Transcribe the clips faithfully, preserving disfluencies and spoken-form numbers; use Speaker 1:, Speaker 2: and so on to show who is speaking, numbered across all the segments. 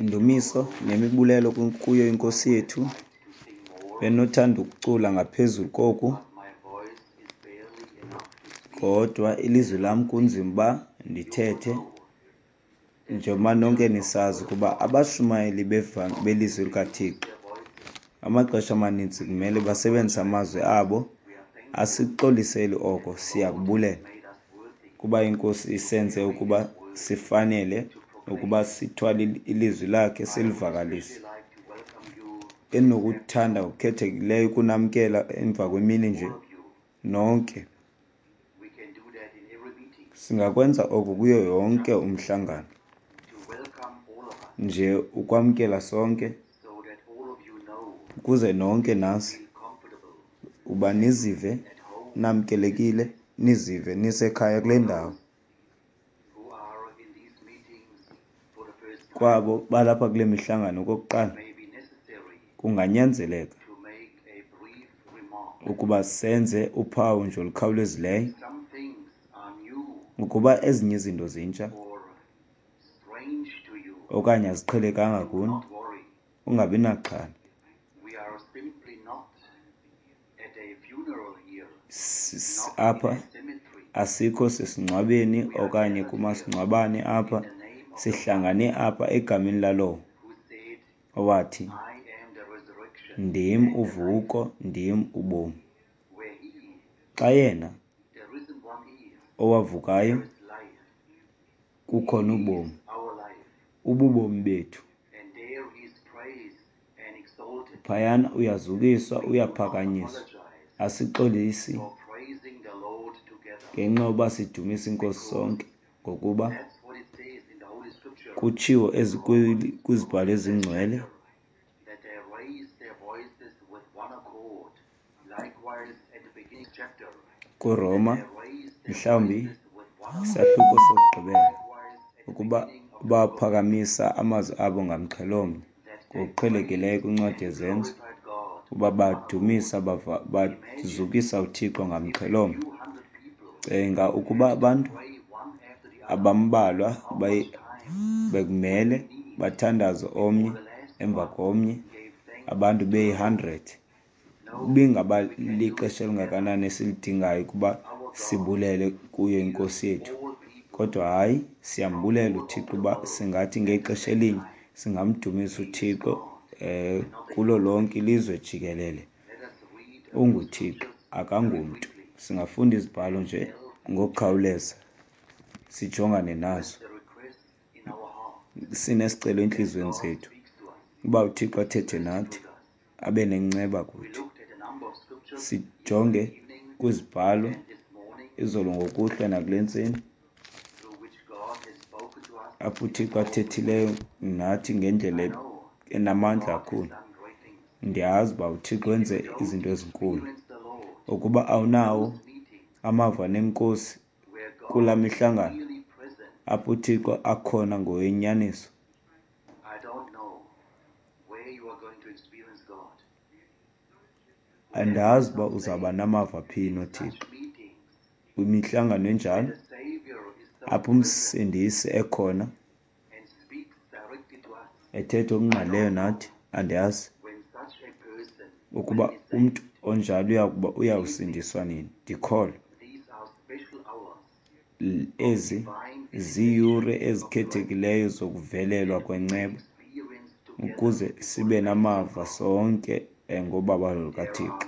Speaker 1: Indumiso nemibulelo kuyo iNkosi yethu. Bendinothanda ukucula ngaphezulu koku, kodwa ilizwi lam kunzima uba ndithethe, njengoba nonke nisazi ukuba abashumayeli belizwi likaThixo amaxesha amaninzi kumele basebenzise amazwi abo. Asixoliseli oko, siyakubulela kuba iNkosi isenze ukuba sifanele ukuba sithwale ilizwi lakhe silivakalise. Endinokuthanda ngokukhethekileyo ukunamkela emva kwemini nje nonke. Singakwenza oku kuyo yonke umhlangano, nje ukwamkela sonke, ukuze nonke nazi uba nizive namkelekile, nizive nisekhaya kule ndawo. Kwabo balapha kule mihlangano okokuqala, kunganyanzeleka ukuba senze uphawu nje olukhawulezileyo, ukuba ezinye izinto zintsha okanye aziqhelekanga kuni, ungabi naxhala. Apha asikho sesingcwabeni okanye kumasingcwabane apha, sihlangane apha egameni lalowo owathi, ndim uvuko, ndim ubomi. Xa yena owavukayo, kukhona ubomi, ububomi bethu. Phayana uyazukiswa, uyaphakanyiswa. Asixolisi ngenxa yoba sidumisa iNkosi sonke, ngokuba kutshiwo kwizibhalo ezingcwele kuRoma, mhlawumbi isahluko sokugqibela, ukuba baphakamisa amazwi abo ngamxhelomnye, ngokuqhelekileyo kwincwadi yeZenzo, uba badumisa bazukisa uThixo ngamxhelomnye. Cinga ukuba abantu abambalwa bekumele bathandaze omnye emva komnye, abantu beyi-hundred. Ibingaba lixesha elingakanani esilidingayo ukuba sibulele kuyo iNkosi yethu. Kodwa hayi, siyambulela uThixo uba singathi ngexesha elinye singamdumisa uThixo um kulo lonke ilizwe jikelele. UnguThixo, akangomntu. Singafunda izibhalo nje ngokukhawuleza sijongane nazo, sinesicelo entliziyweni zethu uba uThixo athethe nathi, abe nenceba kuthi. Sijonge kwizibhalo izolo ngokuhlwa nakule ntseni, apho uThixo athethileyo nathi ngendlela enamandla kakhulu. Ndiyazi uba uThixo wenze izinto ezinkulu. Ukuba awunawo amava neNkosi kula mihlangano apho uThixo akhona ngowenyaniso, andazi uba uzawuba namava phi noThixo kwimihlangano enjalo apho uMsindisi ekhona ethetha okungqalileyo nathi. Andiyazi ukuba umntu onjalo uyakuba uyawusindiswa nini. Ndikholwa ezi ziiyure ezikhethekileyo zokuvelelwa kwenceba ukuze sibe namava sonke ngobabalo lukaThixo.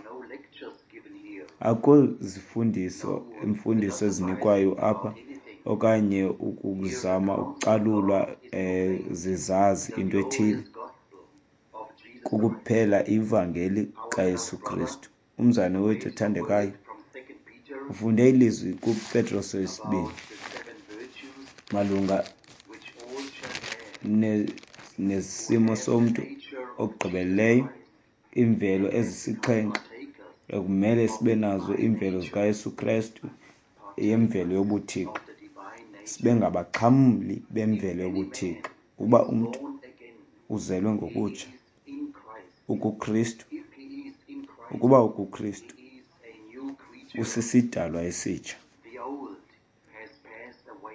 Speaker 1: Akukho zifundiso imfundiso ezinikwayo apha okanye ukuzama ukucalulwa um zizazi into ethile. Kukuphela ivangeli kaYesu Kristu. Umzalwane wethu othandekayo ufunde ilizwi kuPetros wesibini malunga nesimo somntu okugqibeleleyo, iimvelo ezisixhenxe ekumele sibe nazo, iimvelo zikaYesu Kristu yemvelo yobuThixo, sibe ngabaxhamli bemvelo yobuThixo. Uba umntu uzelwe ngokutsha, ukuKristu, ukuba ukuKristu, usisidalwa esitsha,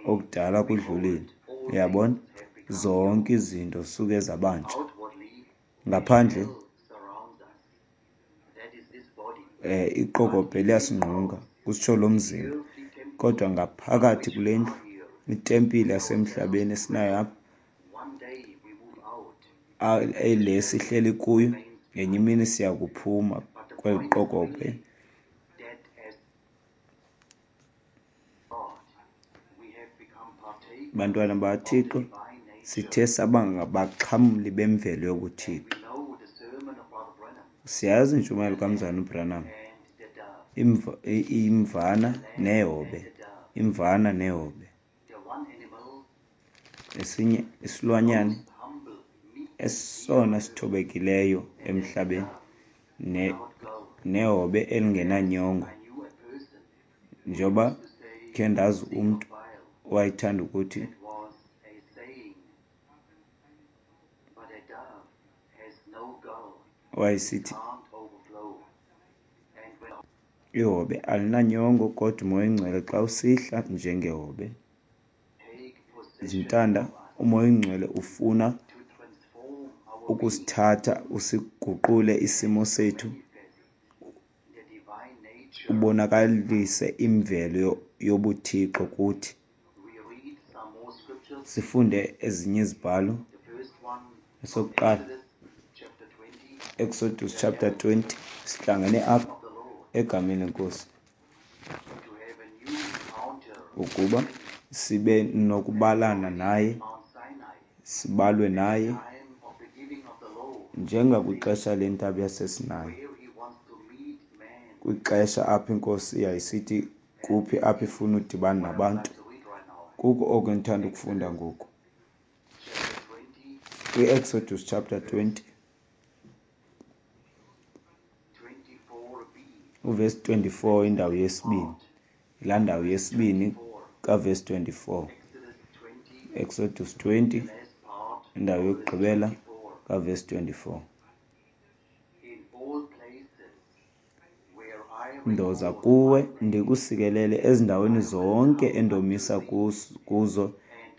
Speaker 1: okudala kudlulile. Uyabona, Zonke izinto suke zabantsha. Ngaphandle eh iqokobhe liyasingqunga, kusitsho lo mzimba, kodwa ngaphakathi kule ndlu, itempile yasemhlabeni esinayo apha, le sihleli kuyo, ngenye imini siya kuphuma kweli qokobhe. Bantwana bakaThixo, sithe saba ngabaxhamli bemvelo yobuThixo. Siyazi intshumayelo kaMzalwana uBranham, imvana nehobe, imvana nehobe. Esinye isilwanyana esona sithobekileyo emhlabeni, nehobe elingenanyongo. Njengoba khe ndazi umntu owayethanda ukuthi owayesithi ihobe alinanyongo, kodwa uMoya oyiNgcwele xa usihla njengehobe zintanda, uMoya oyiNgcwele ufuna ukusithatha usiguqule isimo sethu, ubonakalise imvelo yobuThixo kuthi. Sifunde ezinye izibhalo. Esokuqala, Exodus chapter twenty, sihlangene apha egameni leNkosi ukuba sibe nokubalana naye, sibalwe naye njengakwixesha lentaba yaseSinayi, kwixesha apho iNkosi yayisithi kuphi apho ifuna udibana nabantu. Kuko oko endithanda ukufunda ngoku kwi-Exodus chapter twenty uvesi twenty-four, indawo yesibini, laa ndawo yesibini kavesi twenty-four. Exodus twenty, indawo yokugqibela kavesi twenty-four. Ndoza kuwe ndikusikelele ezindaweni zonke endomisa kuzo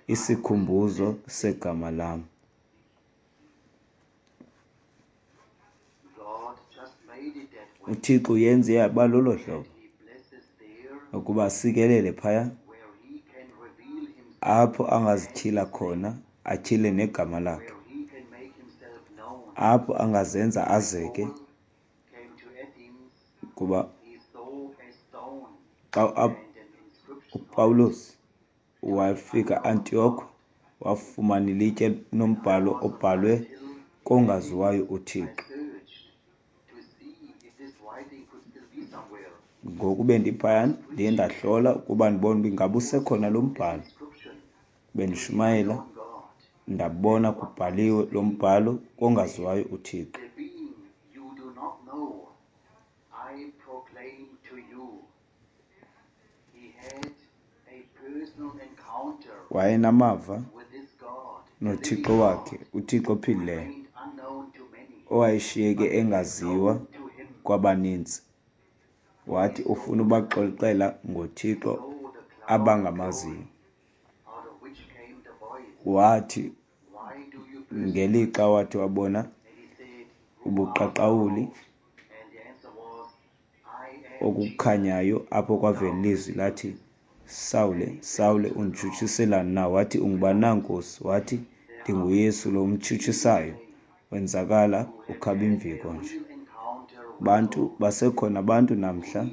Speaker 1: isikhumbuzo segama lam. UThixo uyenze yaba lolo hlobo ukuba asikelele phaya apho angazityhila khona, atyhile negama lakhe, apho angazenza azeke. Kuba xa uPawulos wafika Antioch, wafumana ilitye nombhalo obhalwe kongaziwayo uThixo. Ngoku bendiphayana, ndiye ndahlola ukuba ndibone uba ingaba usekhona lo mbhalo. Bendishumayela, ndabona kubhaliwe lo mbhalo kongaziwayo uThixo. Wayenamava noThixo wakhe, uThixo ophilileyo, owayeshiyeke engaziwa kwabaninzi. Wathi ufuna ubaxoxela ngoThixo abangamaziyo. Wathi ngelixa wathi wabona ubuqaqawuli okukhanyayo, apho kwavela ilizwi lathi, Sawule, Sawule, unditshutshiselani na? Wathi, ungubani na, Nkosi? Wathi, ndinguYesu lo umtshutshisayo. Wenzakala ukhaba imviko nje. Bantu basekhona abantu namhla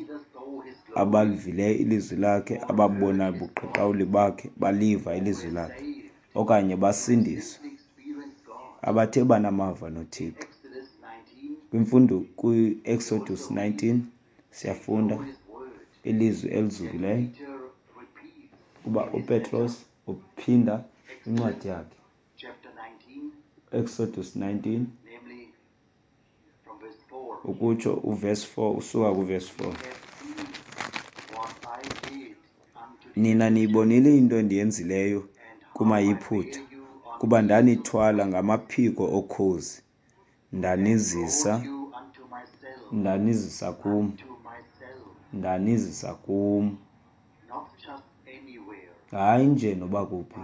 Speaker 1: abalivileyo ilizwi lakhe, ababona ubuqaqawuli bakhe, baliva ilizwi lakhe, okanye basindiswa, abathe banamava noThixo. Kwimfundo kwi-Exodus nineteen siyafunda ilizwi elizukileyo kuba uPetros uphinda incwadi yakhe. Exodus nineteen ukutsho uverse four, usuka kuverse four. Nina niyibonile into endiyenzileyo kumaYiputa, kuba ndanithwala ngamaphiko okhozi, ndanizisa, ndanizisa kum, ndanizisa kum. Hayi nje noba kuphi,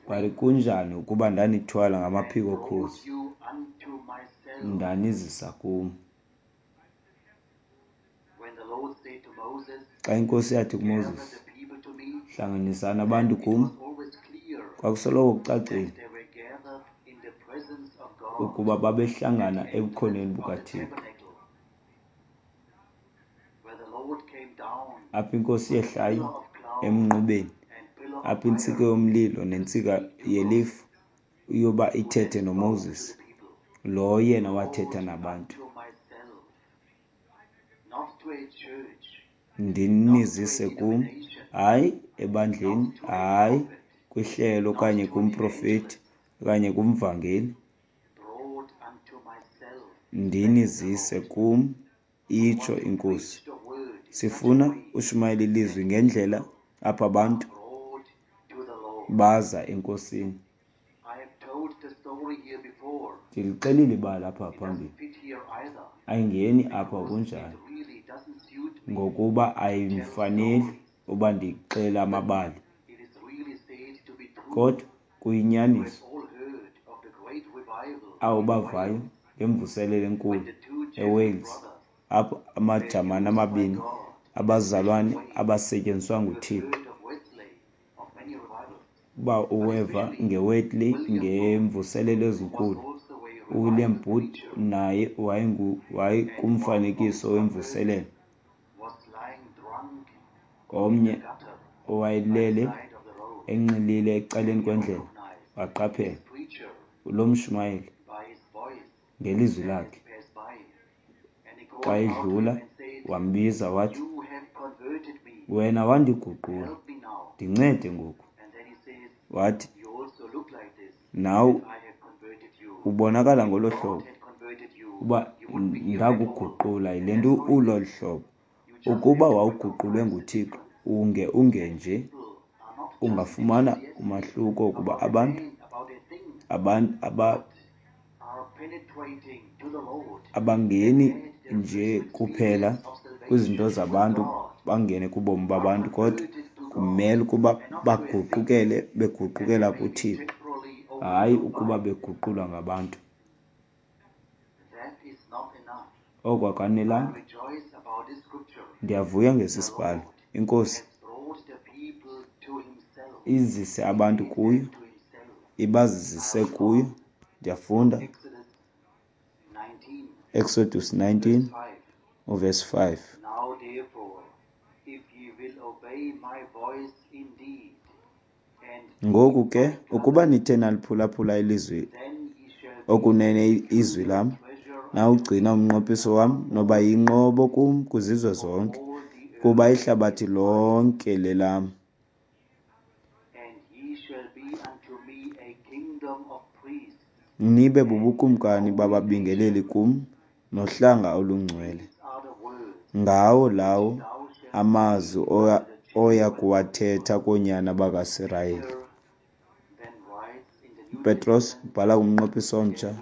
Speaker 1: Bhali kunjani ukuba ndanithwala ngamaphiko okhozi, ndanizisa kum. Xa iNkosi yathi kuMoses, hlanganisani abantu kum, kwakusoloko kucacile ukuba babehlangana ebukhoneni bukaThixo. Apho iNkosi yehlayo emnqubeni, apho intsika yomlilo nentsika yelifu iyoba ithethe noMoses, lo yena wathetha nabantu. Ndinizise kum, hayi ebandleni, hayi kwihlelo okanye kumprofeti okanye kumvangeli. Ndinizise kum, itsho iNkosi. Sifuna ushumayela ilizwi ngendlela apho abantu baza eNkosini. Ndilixelile ibali apha phambili. Ayingeni apha kunjalo, ngokuba ayimfaneli uba ndixele amabali. Kodwa kuyinyaniso abo bavayo ngemvuselelo enkulu eWales, apho amaJamani amabini abazalwane abasetyenziswa nguThixo. Uba uweva ngeWesley, ngemvuselelo ezinkulu, uWilliam Booth naye wayekumfanekiso wemvuselelo. Omnye owayelele enxilile ecaleni kwendlela waqaphela lo mshumayeli ngelizwi lakhe. Xa edlula wambiza wathi, wena wandiguqula, ndincede ngoku. Wathi, nawe ubonakala ngolo hlobo uba ndakuguqula yile nto ulolu hlobo. Ukuba wawuguqulwe nguThixo unge ungenje, ungafumana umahluko ukuba abantu abantu aba abangeni nje kuphela kwizinto zabantu, bangene kubomi babantu, kodwa kumele ukuba baguqukele beguqukela kuThixo, hayi ukuba beguqulwa ngabantu. Oko akanelanga. Ndiyavuya ngesi sibhalo. INkosi izise abantu kuyo, ibazise kuyo. Ndiyafunda Exodus nineteen uverse five. Ngoku ke ukuba nithe naliphulaphula ilizwi okunene izwi lam, nawugcina umnqophiso wam, noba yinqobo kum kwizizwe zonke, kuba ihlabathi lonke lelam. Nibe bubukumkani bababingeleli kum, nohlanga olungcwele. Ngawo lawo amazwi oya kuwathetha koonyana bakaSirayeli. Petros ubhala kumnqophiso omtsha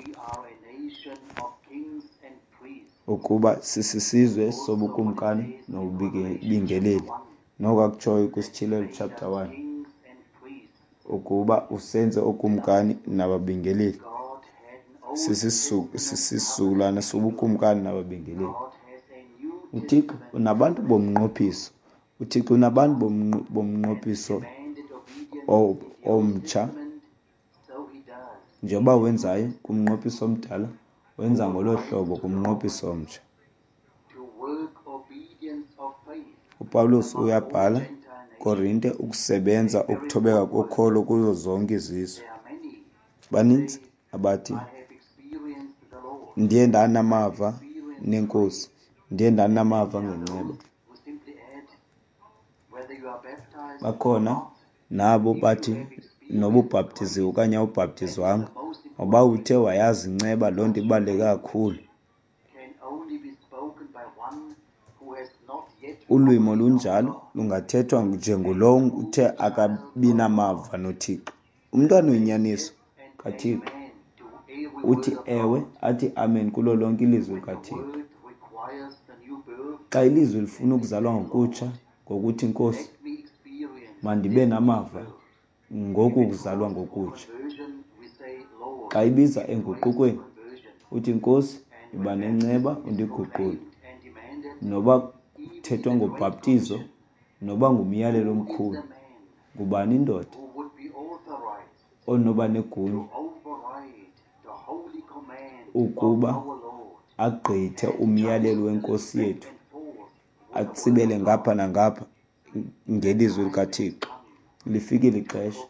Speaker 1: ukuba sisisizwe sobukumkani nobubingeleli. Noko akutshoyo kwiSityhilelo chapter one ukuba usenze okumkani nababingeleli. Sisisizukulwana sobukumkani nababingeleli. UThixo unabantu bomnqophiso. UThixo unabantu bomnqophiso omtsha. Njengoba wenzayo kumnqophiso omdala, wenza ngolo hlobo kumnqophiso omtsha. UPawulos uyabhala Korinte ukusebenza ukuthobeka kokholo kuzo zonke izizwe. Baninzi abathi ndiye ndanamava neNkosi, ndiye ndanamava ngenceba. Bakhona nabo bathi noba ubhaptiziwe okanye awubhaptizwanga, ngoba uthe wayazi inceba, loo nto ibaluleke kakhulu. Ulwimi olunjalo lungathethwa njengulowo uthe akabi namava noThixo. Umntwana oyinyaniso kaThixo uthi ewe, athi amen kulo lonke ilizwi likaThixo. Xa ilizwi lifuna ukuzalwa ngokutsha, ngokuthi Nkosi, Mandibe namava ngoku kuzalwa ngokutsha. Xa ibiza enguqukweni, uthi, Nkosi, yiba nenceba undiguqule. Noba kuthethwa ngobhaptizo, noba ngumyalelo omkhulu, ngubani indoda onoba negunya ukuba agqithe umyalelo weNkosi yethu, atsibele ngapha nangapha ngelizwi likaThixo? Lifikile ixesha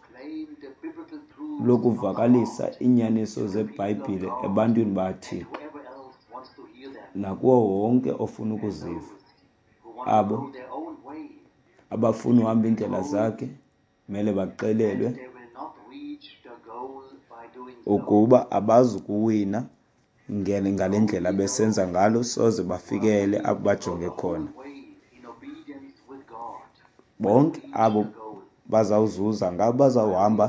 Speaker 1: lokuvakalisa iinyaniso zeBhayibhile ebantwini bakaThixo nakuwo wonke ofuna ukuziva. Abo abafuna uhamba iindlela zakhe mele baxelelwe ukuba abazukuwina ngale ndlela besenza ngalo, soze bafikele apho bajonge khona. Bonke abo bazawuzuza ngabo bazawuhamba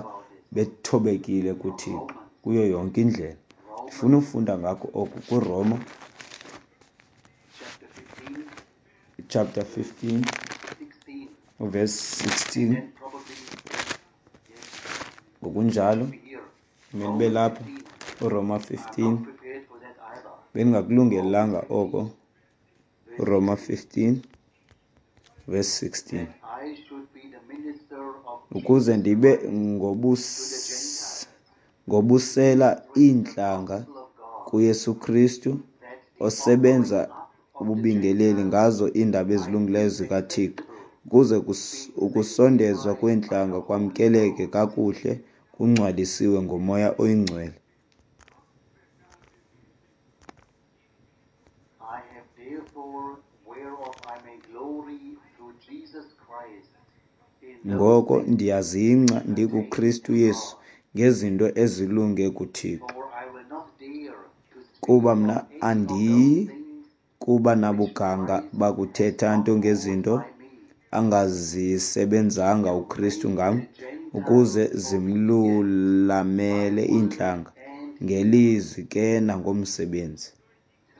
Speaker 1: bethobekile kuThixo kuyo yonke indlela. Ndifuna ufunda ngako oku kuRoma chapter fifteen verse sixteen. Ngokunjalo kumele ube lapha uRoma fifteen. Bendingakulungelanga oko. uRoma fifteen verse sixteen. Ukuze ndibe ngobus ngobusela iintlanga kuYesu Kristu, osebenza ububingeleli ngazo iindaba ezilungileyo zikaThixo, ukuze ukusondezwa kweentlanga kwamkeleke kakuhle, kungcwalisiwe ngoMoya oyiNgcwele.
Speaker 2: I have therefore whereof I may glory through Jesus Christ in those
Speaker 1: Ngoko
Speaker 2: things
Speaker 1: ndiyazingca ndikuKristu Yesu ngezinto ezilunge kuThixo.
Speaker 2: For I will not dare to speak
Speaker 1: Kuba
Speaker 2: of
Speaker 1: mna
Speaker 2: any of those
Speaker 1: andiyi
Speaker 2: things
Speaker 1: kuba nabuganga bakuthetha nto ngezinto
Speaker 2: by me
Speaker 1: angazisebenzanga uKristu ngam, ukuze zimlulamele iintlanga ngelizwi ke nangomsebenzi,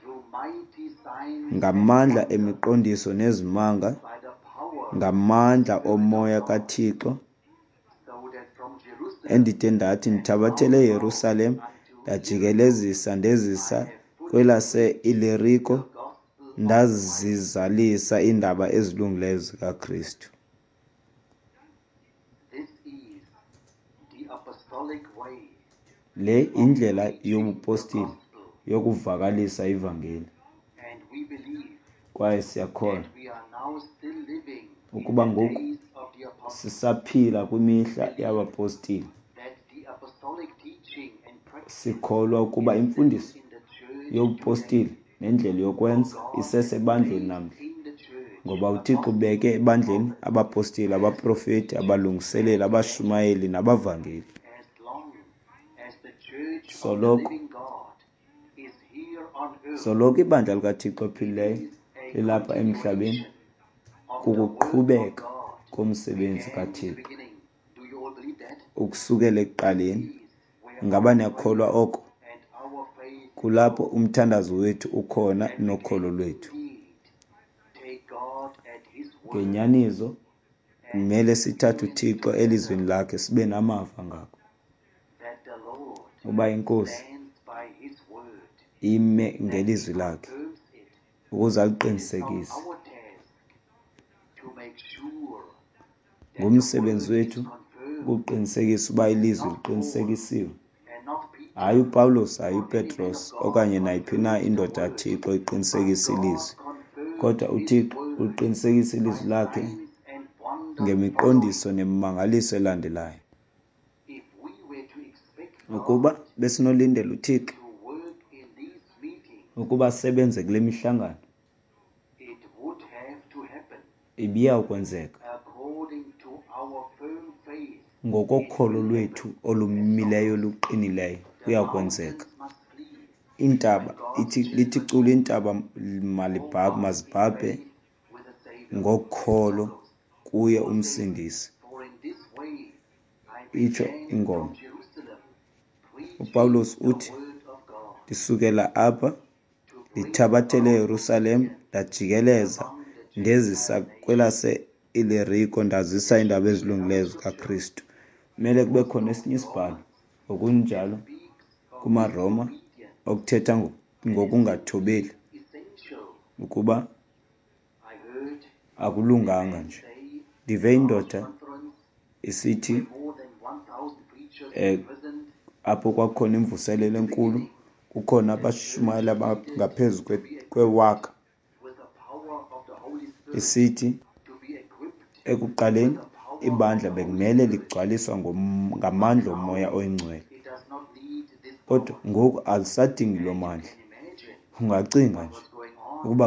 Speaker 2: through mighty signs and
Speaker 1: ngamandla
Speaker 2: wonders,
Speaker 1: emiqondiso nezimanga,
Speaker 2: by the power
Speaker 1: ngamandla oMoya kaThixo,
Speaker 2: so that from Jerusalem
Speaker 1: endide ndathi ndithabathele eYerusalem, ndajikelezisa ndezisa kwelase-Iliriko,
Speaker 2: gospel
Speaker 1: ndazizalisa iindaba ezilungileyo zikaKristu.
Speaker 2: This is the apostolic way
Speaker 1: Le indlela yobupostile yokuvakalisa ivangeli,
Speaker 2: and we believe
Speaker 1: kwaye siyakholwa
Speaker 2: that we are now still living in
Speaker 1: ukuba
Speaker 2: the
Speaker 1: ngoku
Speaker 2: days of the apostles,
Speaker 1: sisaphila kwimihla yabapostile.
Speaker 2: that the apostolic teaching and practice
Speaker 1: Sikholwa ukuba imfundiso
Speaker 2: in the church
Speaker 1: yobupostile nendlela yokwenza isesebandleni namhla,
Speaker 2: in the church
Speaker 1: ngoba uThixo ubeke ebandleni abapostile, abaprofeti, abalungiseleli, abashumayeli nabavangeli.
Speaker 2: as long as the church of the
Speaker 1: Soloko
Speaker 2: living God is here on earth
Speaker 1: soloko ibandla likaThixo ophilileyo
Speaker 2: is a
Speaker 1: lilapha emhlabeni,
Speaker 2: continuation of the work of
Speaker 1: kukuqhubeka
Speaker 2: God
Speaker 1: komsebenzi
Speaker 2: began in the
Speaker 1: kaThixo
Speaker 2: beginning. Do you all believe that?
Speaker 1: ukusukela ekuqaleni.
Speaker 2: Is where
Speaker 1: Ngaba
Speaker 2: our
Speaker 1: niyakholwa
Speaker 2: prayer
Speaker 1: oko?
Speaker 2: and our faith
Speaker 1: Kulapho umthandazo wethu ukhona nokholo lwethu.
Speaker 2: indeed take God at His word
Speaker 1: Ngenyaniso kumele sithathe uThixo elizwini lakhe, sibe namava ngako
Speaker 2: that the Lord
Speaker 1: uba iNkosi
Speaker 2: stands by His word,
Speaker 1: ime ngelizwi lakhe
Speaker 2: confirms it.
Speaker 1: ukuze
Speaker 2: It is
Speaker 1: aliqinisekise.
Speaker 2: our task to make sure that the
Speaker 1: Ngumsebenzi
Speaker 2: word is
Speaker 1: wethu
Speaker 2: confirmed
Speaker 1: ukuqinisekisa uba ilizwi liqinisekisiwe.
Speaker 2: and not Peter
Speaker 1: Hayi uPawulos, hayi
Speaker 2: or any man
Speaker 1: uPetros
Speaker 2: of God
Speaker 1: okanye nayiphi na
Speaker 2: confirms the
Speaker 1: indoda
Speaker 2: word,
Speaker 1: kaThixo
Speaker 2: but
Speaker 1: iqinisekisa
Speaker 2: God
Speaker 1: ilizwi,
Speaker 2: confirms
Speaker 1: kodwa
Speaker 2: His
Speaker 1: uThixo
Speaker 2: word
Speaker 1: uliqinisekisa
Speaker 2: by
Speaker 1: ilizwi lakhe
Speaker 2: signs and wonders
Speaker 1: ngemiqondiso
Speaker 2: following.
Speaker 1: nemimangaliso elandelayo.
Speaker 2: If we were to expect
Speaker 1: Ukuba
Speaker 2: God
Speaker 1: besinolindela uThixo
Speaker 2: to work in these meetings,
Speaker 1: ukuba asebenze kule mihlangano,
Speaker 2: it would have to happen
Speaker 1: ibiya kwenzeka
Speaker 2: according to our firm faith. It
Speaker 1: ngokokholo
Speaker 2: will
Speaker 1: lwethu
Speaker 2: happen.
Speaker 1: olumileyo luqinileyo,
Speaker 2: The
Speaker 1: kuya kwenzeka.
Speaker 2: mountains must flee
Speaker 1: Iintaba
Speaker 2: when God's
Speaker 1: ithi lithi
Speaker 2: children
Speaker 1: cula iintaba
Speaker 2: hold
Speaker 1: malibhabhe
Speaker 2: fast in
Speaker 1: mazibhabhe
Speaker 2: faith with the Savior.
Speaker 1: ngokholo
Speaker 2: Song goes.
Speaker 1: kuye
Speaker 2: Paul says,
Speaker 1: umsindisi.
Speaker 2: For in this way I
Speaker 1: Itsho
Speaker 2: began from
Speaker 1: ingoma.
Speaker 2: Jerusalem, preaching
Speaker 1: UPawulos
Speaker 2: the
Speaker 1: uthi,
Speaker 2: word of God,
Speaker 1: ndisukela apha
Speaker 2: to bring
Speaker 1: ndithabathele
Speaker 2: about
Speaker 1: eYerusalem,
Speaker 2: obedience
Speaker 1: ndajikeleza
Speaker 2: among the Gentile
Speaker 1: ndezisa
Speaker 2: nations.
Speaker 1: kwelase Iliriko ndazisa iindaba ezilungileyo zikaKristu. Kumele kube khona esinye isibhalo ngokunjalo kumaRoma okuthetha ngokungathobeli ukuba akulunganga nje. Ndive indoda isithi eh apho kwakukhona imvuselelo enkulu, kukhona abashumayeli abangaphezu kwewaka, isithi ekuqaleni ibandla bekumele ligcwaliswa ngamandla oMoya oyiNgcwele, kodwa ngoku alisadingi loo mandla. Ungacinga nje ukuba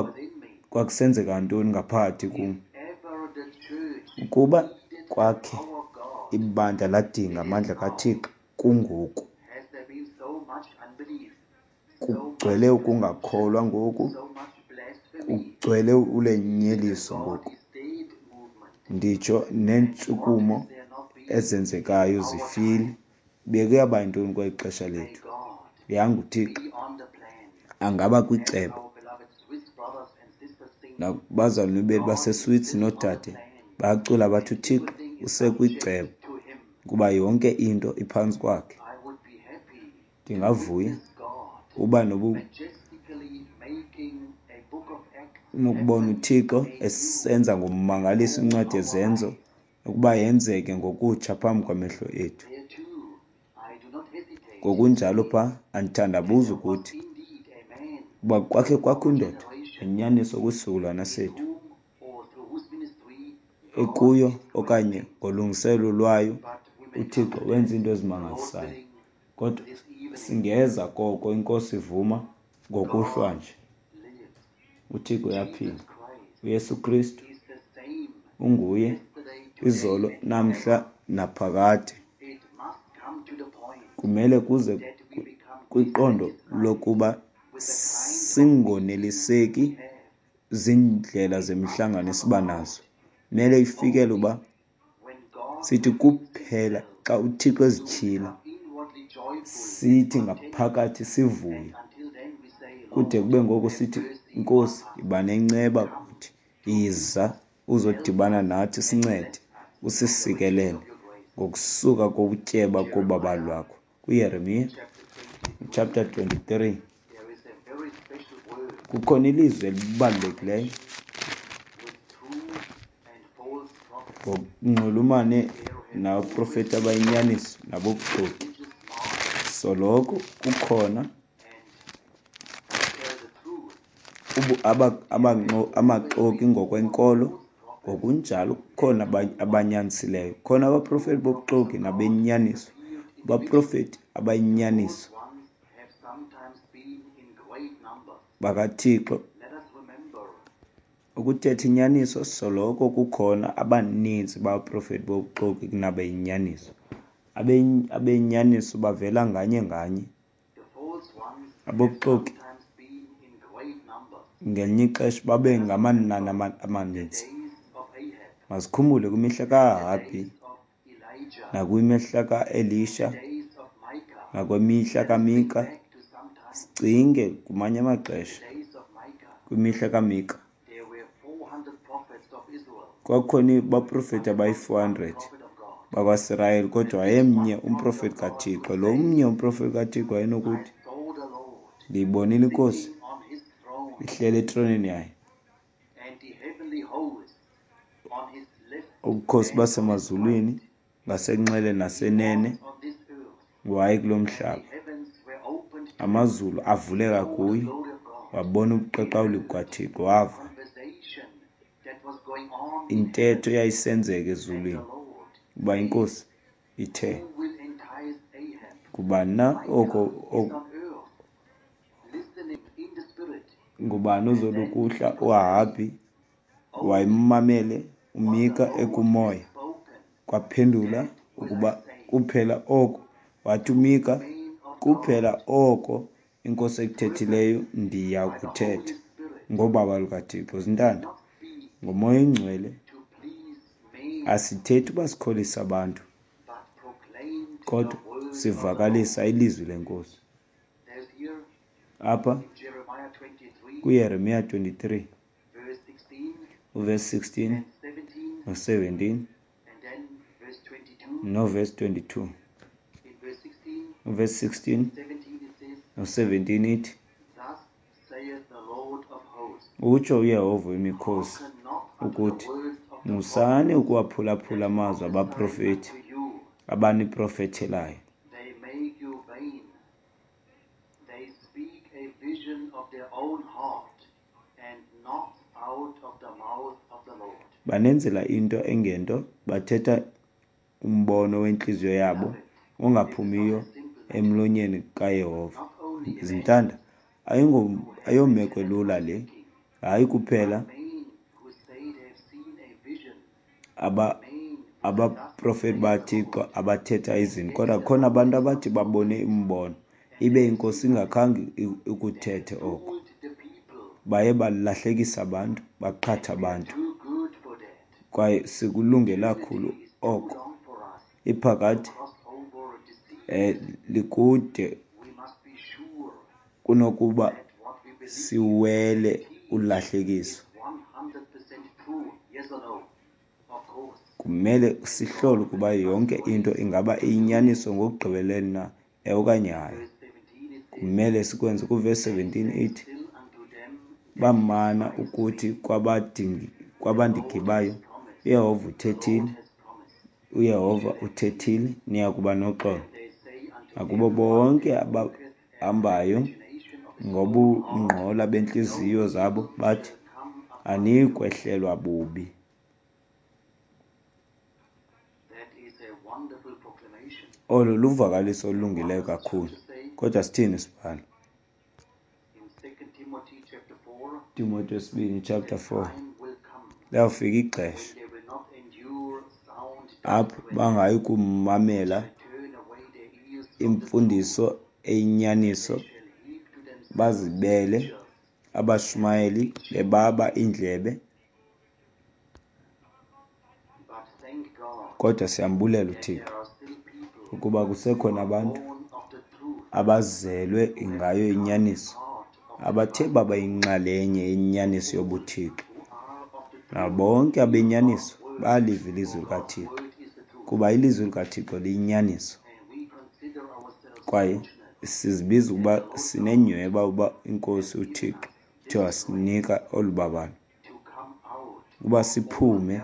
Speaker 1: kwakusenzeka ntoni ngaphakathi kum. Ukuba kwakhe ibandla ladinga amandla kaThixo, kungoku. Kugcwele ukungakholwa ngoku, kugcwele ulenyeliso ngoku, nditsho neentshukumo ezenzekayo zifile. Bekuyaba yintoni kweli xesha lethu? Yanga uThixo angaba kwicebo. Nakubazalwane bethu baseSwitsi noodade bayacula bathi uThixo usekwicebo kuba yonke into iphantsi kwakhe. Ndingavuya uba nobu nokubona uThixo esenza ngommangaliso incwadi yeZenzo ukuba yenzeke ngokutsha phambi kwamehlo ethu. Ngokunjalo pha andithandabuzi ukuthi uba kwakhe kwakho indoda ngenyaniso kwisizukulwana sethu ekuyo okanye ngolungiselelo lwayo uThixo wenza iinto ezimangalisayo. Kodwa singeza koko iNkosi ivuma ngokuhlwa nje. UThixo uyaphila. UYesu Kristu unguye izolo, namhla naphakade. Kumele kuze kwiqondo lokuba singoneliseki ziindlela zemihlangano esiba nazo. Kumele ifikele uba sithi kuphela xa uThixo ezityhila sithi ngaphakathi sivuye, kude kube ngoku sithi, Nkosi, yiba nenceba kuthi, yiza uzodibana nathi, sincede usisikelele ngokusuka kokutyeba kobabalo lwakho. KuYeremiya chapter twenty-three kukhona ilizwi elibalulekileyo ngokunxulumane nabaprofeti abayinyaniso nabobuxoki. Soloko kukhona amaxoki ngokwenkolo, ngokunjalo kukhona abanyanisileyo. Kukhona abaprofeti bobuxoki nabenyaniso, abaprofeti abayinyaniso bakaThixo. Ukuthetha inyaniso, soloko kukhona abaninzi babaprofeti bobuxoki kunabeyinyaniso. Abeyinyaniso bavela nganye nganye. Abobuxoki ngelinye ixesha babe ngamanani amaninzi. Masikhumbule kwimihla kaAhabhi nakwimihla kaElisha nakwimihla kaMika. Sicinge kumanye amaxesha kwimihla kaMika kwakukhona abaprofeti abayi-four hundred bakwaSirayeli, kodwa wayemnye umprofeti kaThixo. Lo mnye umprofeti kaThixo wayenokuthi, ndiyibonile iNkosi ihleli etroneni yayo, ubukhosi basemazulwini ngasenxele nasenene, waye kulo mhlaba. Amazulu avuleka kuye, wabona ubuqaqawuli bukaThixo, wava intetho eyayisenzeka ezulwini uba iNkosi ithe, ngubani na oko ngubani ozolukuhla uAhabhi? Wayemmamele uMika ekumoya. Kwaphendula ukuba kuphela oko wathi uMika, kuphela oko iNkosi ekuthethileyo ndiya kuthetha ngobaba lukaThixo. Zintanda, ngoMoya oyiNgcwele asithethi uba sikholisa abantu, kodwa sivakalisa ilizwi leNkosi. Apha kuYeremiya twenty-three uvesi sixteen no-seventeen novesi twenty-two. Uvesi sixteen no-seventeen ithi, utsho uYehova wemikhosi ukuthi, musani ukuwaphulaphula amazwi abaprofeti abaniprofethelayo. Banenzela into engento, bathetha umbono wentliziyo yabo ongaphumiyo emlonyeni kaYehova. Zintanda, ayomeko lula le. Hayi kuphela aba abaprofeti baThixo abathetha izinto, kodwa khona abantu abathi babone imbono ibe inkosi ingakhange ikuthethe oko. Baye balahlekisa abantu, baqhatha abantu, kwaye sikulungele kakhulu oko. Iphakade eh likude kunokuba siwele ulahlekiso. Kumele sihlole ukuba yonke into ingaba iyinyaniso ngokugqibeleleyo na, ewe okanye hayi. Kumele sikwenze. Kuvesi seventeen ithi, bamana ukuthi kwabandigibayo, uYehova uthethile, uYehova uthethile, niya kuba noxolo. Nakubo bonke abahambayo ngobungqola bentliziyo zabo bathi, aniyi kwehlelwa bubi. Olo luvakaliso olulungileyo kakhulu. Kodwa sithini isibhalo? Timothy wesibini chapter four. Liyawufika ixesha apho bangayi kumamela imfundiso eyinyaniso, bazibele abashumayeli bebaba iindlebe. Kodwa siyambulela uThixo ukuba kusekhona abantu abazelwe ngayo inyaniso, abathe baba yinxalenye yenyaniso yobuThixo. Nabo bonke abenyaniso bayaliva ilizwi likaThixo, kuba ilizwi likaThixo liyinyaniso. Kwaye sizibiza ukuba sinenyhweba uba inkosi uThixo uthe wasinika olu babalo ukuba siphume